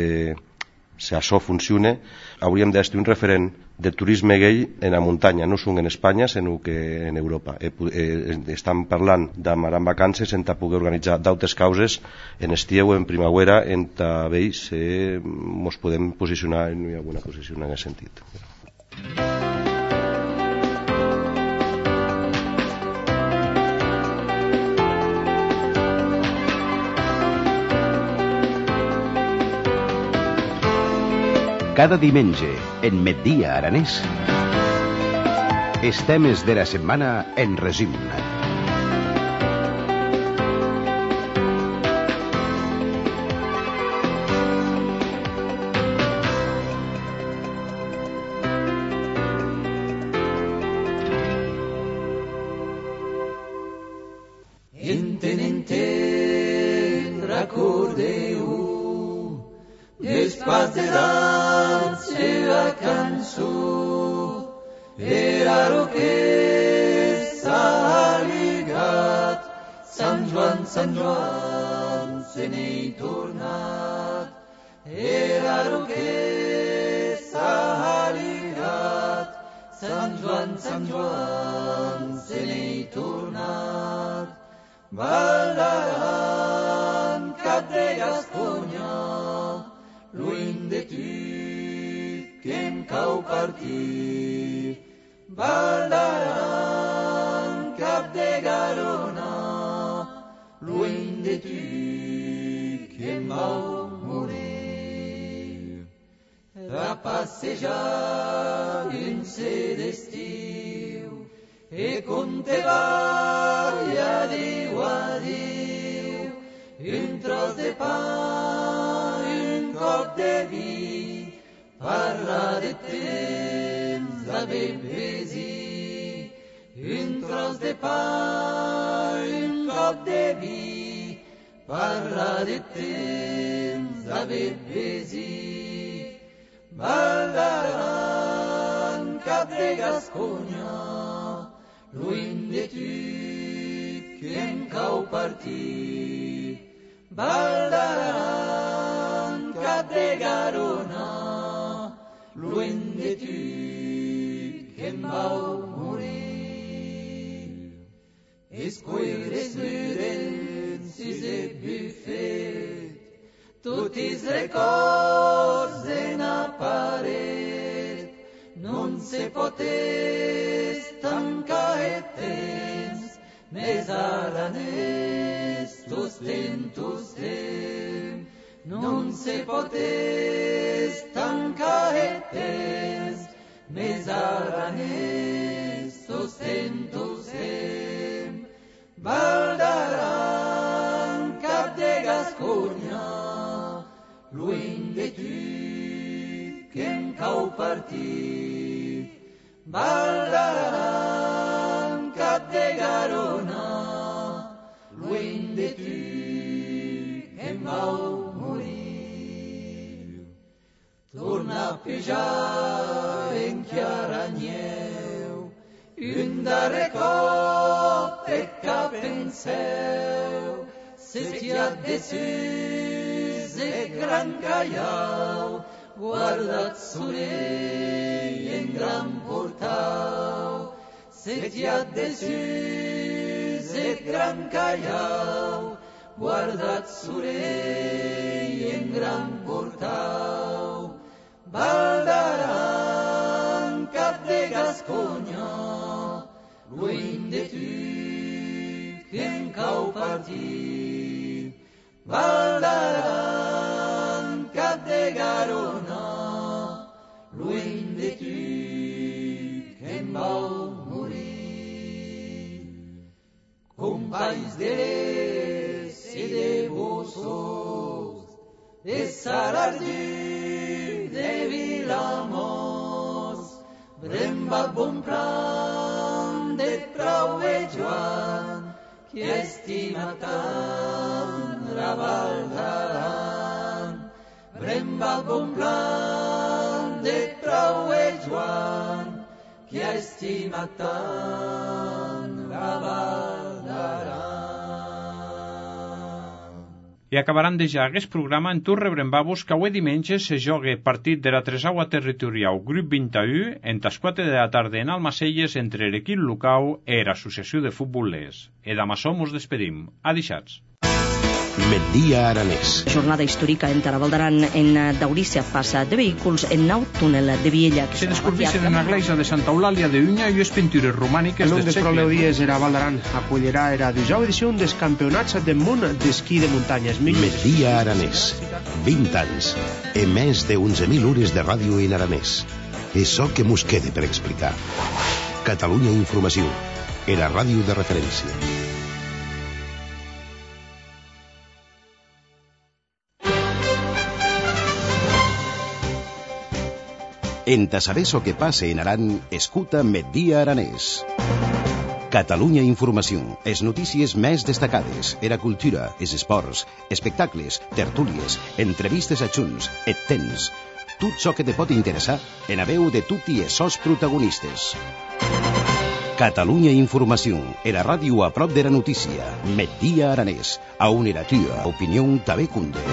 si això funciona, hauríem d'estar un referent de turisme gay en la muntanya, no són en Espanya, sinó que en Europa. Eh, eh, estan parlant d'Aran Vacances en poder organitzar d'altres causes en estiu o en primavera, en veus eh, ens podem posicionar en una bona posició en aquest sentit. Cada diumenge, en Migdia Aranès, els temes de la setmana en resum. Enten, enten, recordeu, després de la seva cançó, era el que s'ha lligat, Sant Joan, Sant Joan, se n'hi tornat, era el que s'ha lligat, Sant Joan, Sant Joan, se n'hi tornat, Val d'Aran, cap de Gasconya, lluny de tu, que em cau partir. Val d'Aran, cap de Garona, lluny de tu, que em vau morir. A passejar dins d'estiu, e contevar i adiu, adiu, un tros de pa, un cop de vi, parlar de temps a bebesir, un tros de pa, un cop de vi, parlar de temps a bebesir. Val d'Aran, cap de Gasconya, lluny de tu, que em cau partit. Val d'Aran, cap de Garona, lluny de tu, que em vau morir. Es cuires murens i de bufet, tots els records en a paret, non se pot estancar el temps, més aranès, tostem, tostem, non se pot estancar el temps, més aranès, tostem, tostem. Val d'Aran, cap de Gasconya, lluny de tu, que em cau partit. Val d'Aran, cap de Garona, lluny de tu, que em vau morir. Torna a pujar en Chiaranyeu, un darrer cop de cap en seu, setiat de sus de gran callau, guardat sorell en gran portau. Setiat de sus de gran callau, guardat sorell en gran portau. Val d'Aran, cap de Gasconya, lluny de tu, que em cau partit. Val d'Aran, cap de Garona, lluny de tu, que em vau morir. Companys de l'Est i de Bossos, de Salardú, de Vilamós, Bremba bon plan de Prau e Joan, que estima tant Raval d'Aran. Bremba bon plan de Prau e Joan, que estima tant Raval d'Aran. I acabaran de ja aquest programa en tur rebrem-vos que avui diumenge se jogue partit de la tresaua territorial grup vint i u en les quatre de la tarda en Almacelles entre l'equip local i l'Associació de Futbol Les. E d'amassó mos despedim. Adixats. Migdia Aranès. Jornada històrica en Taraval d'Aran en Daurícia passa de vehicles en nou túnel de Viella. Se descobreixen en la iglesia de Santa Eulàlia de Unya i les pintures romàniques del segle. El nom de Dies era Val d'Aran acollirà era dijous edició dels campionats del món d'esquí de muntanyes. Migdia Aranès. vint anys. E més de onze mil hores de ràdio en aranès. Això que mos quede per explicar. Catalunya Informació. Era ràdio de referència. En ta saber so que passe en Aran, escuta Migdia Aranès. Catalunya Informació. Es notícies més destacades. Era cultura, es esports, espectacles, tertúlies, entrevistes a junts, et tens. Tot so que te pot interessar en a veu de tutti e sos protagonistes. Catalunya Informació. Era ràdio a prop de la notícia. Migdia Aranès. A on era tua opinió també cunde.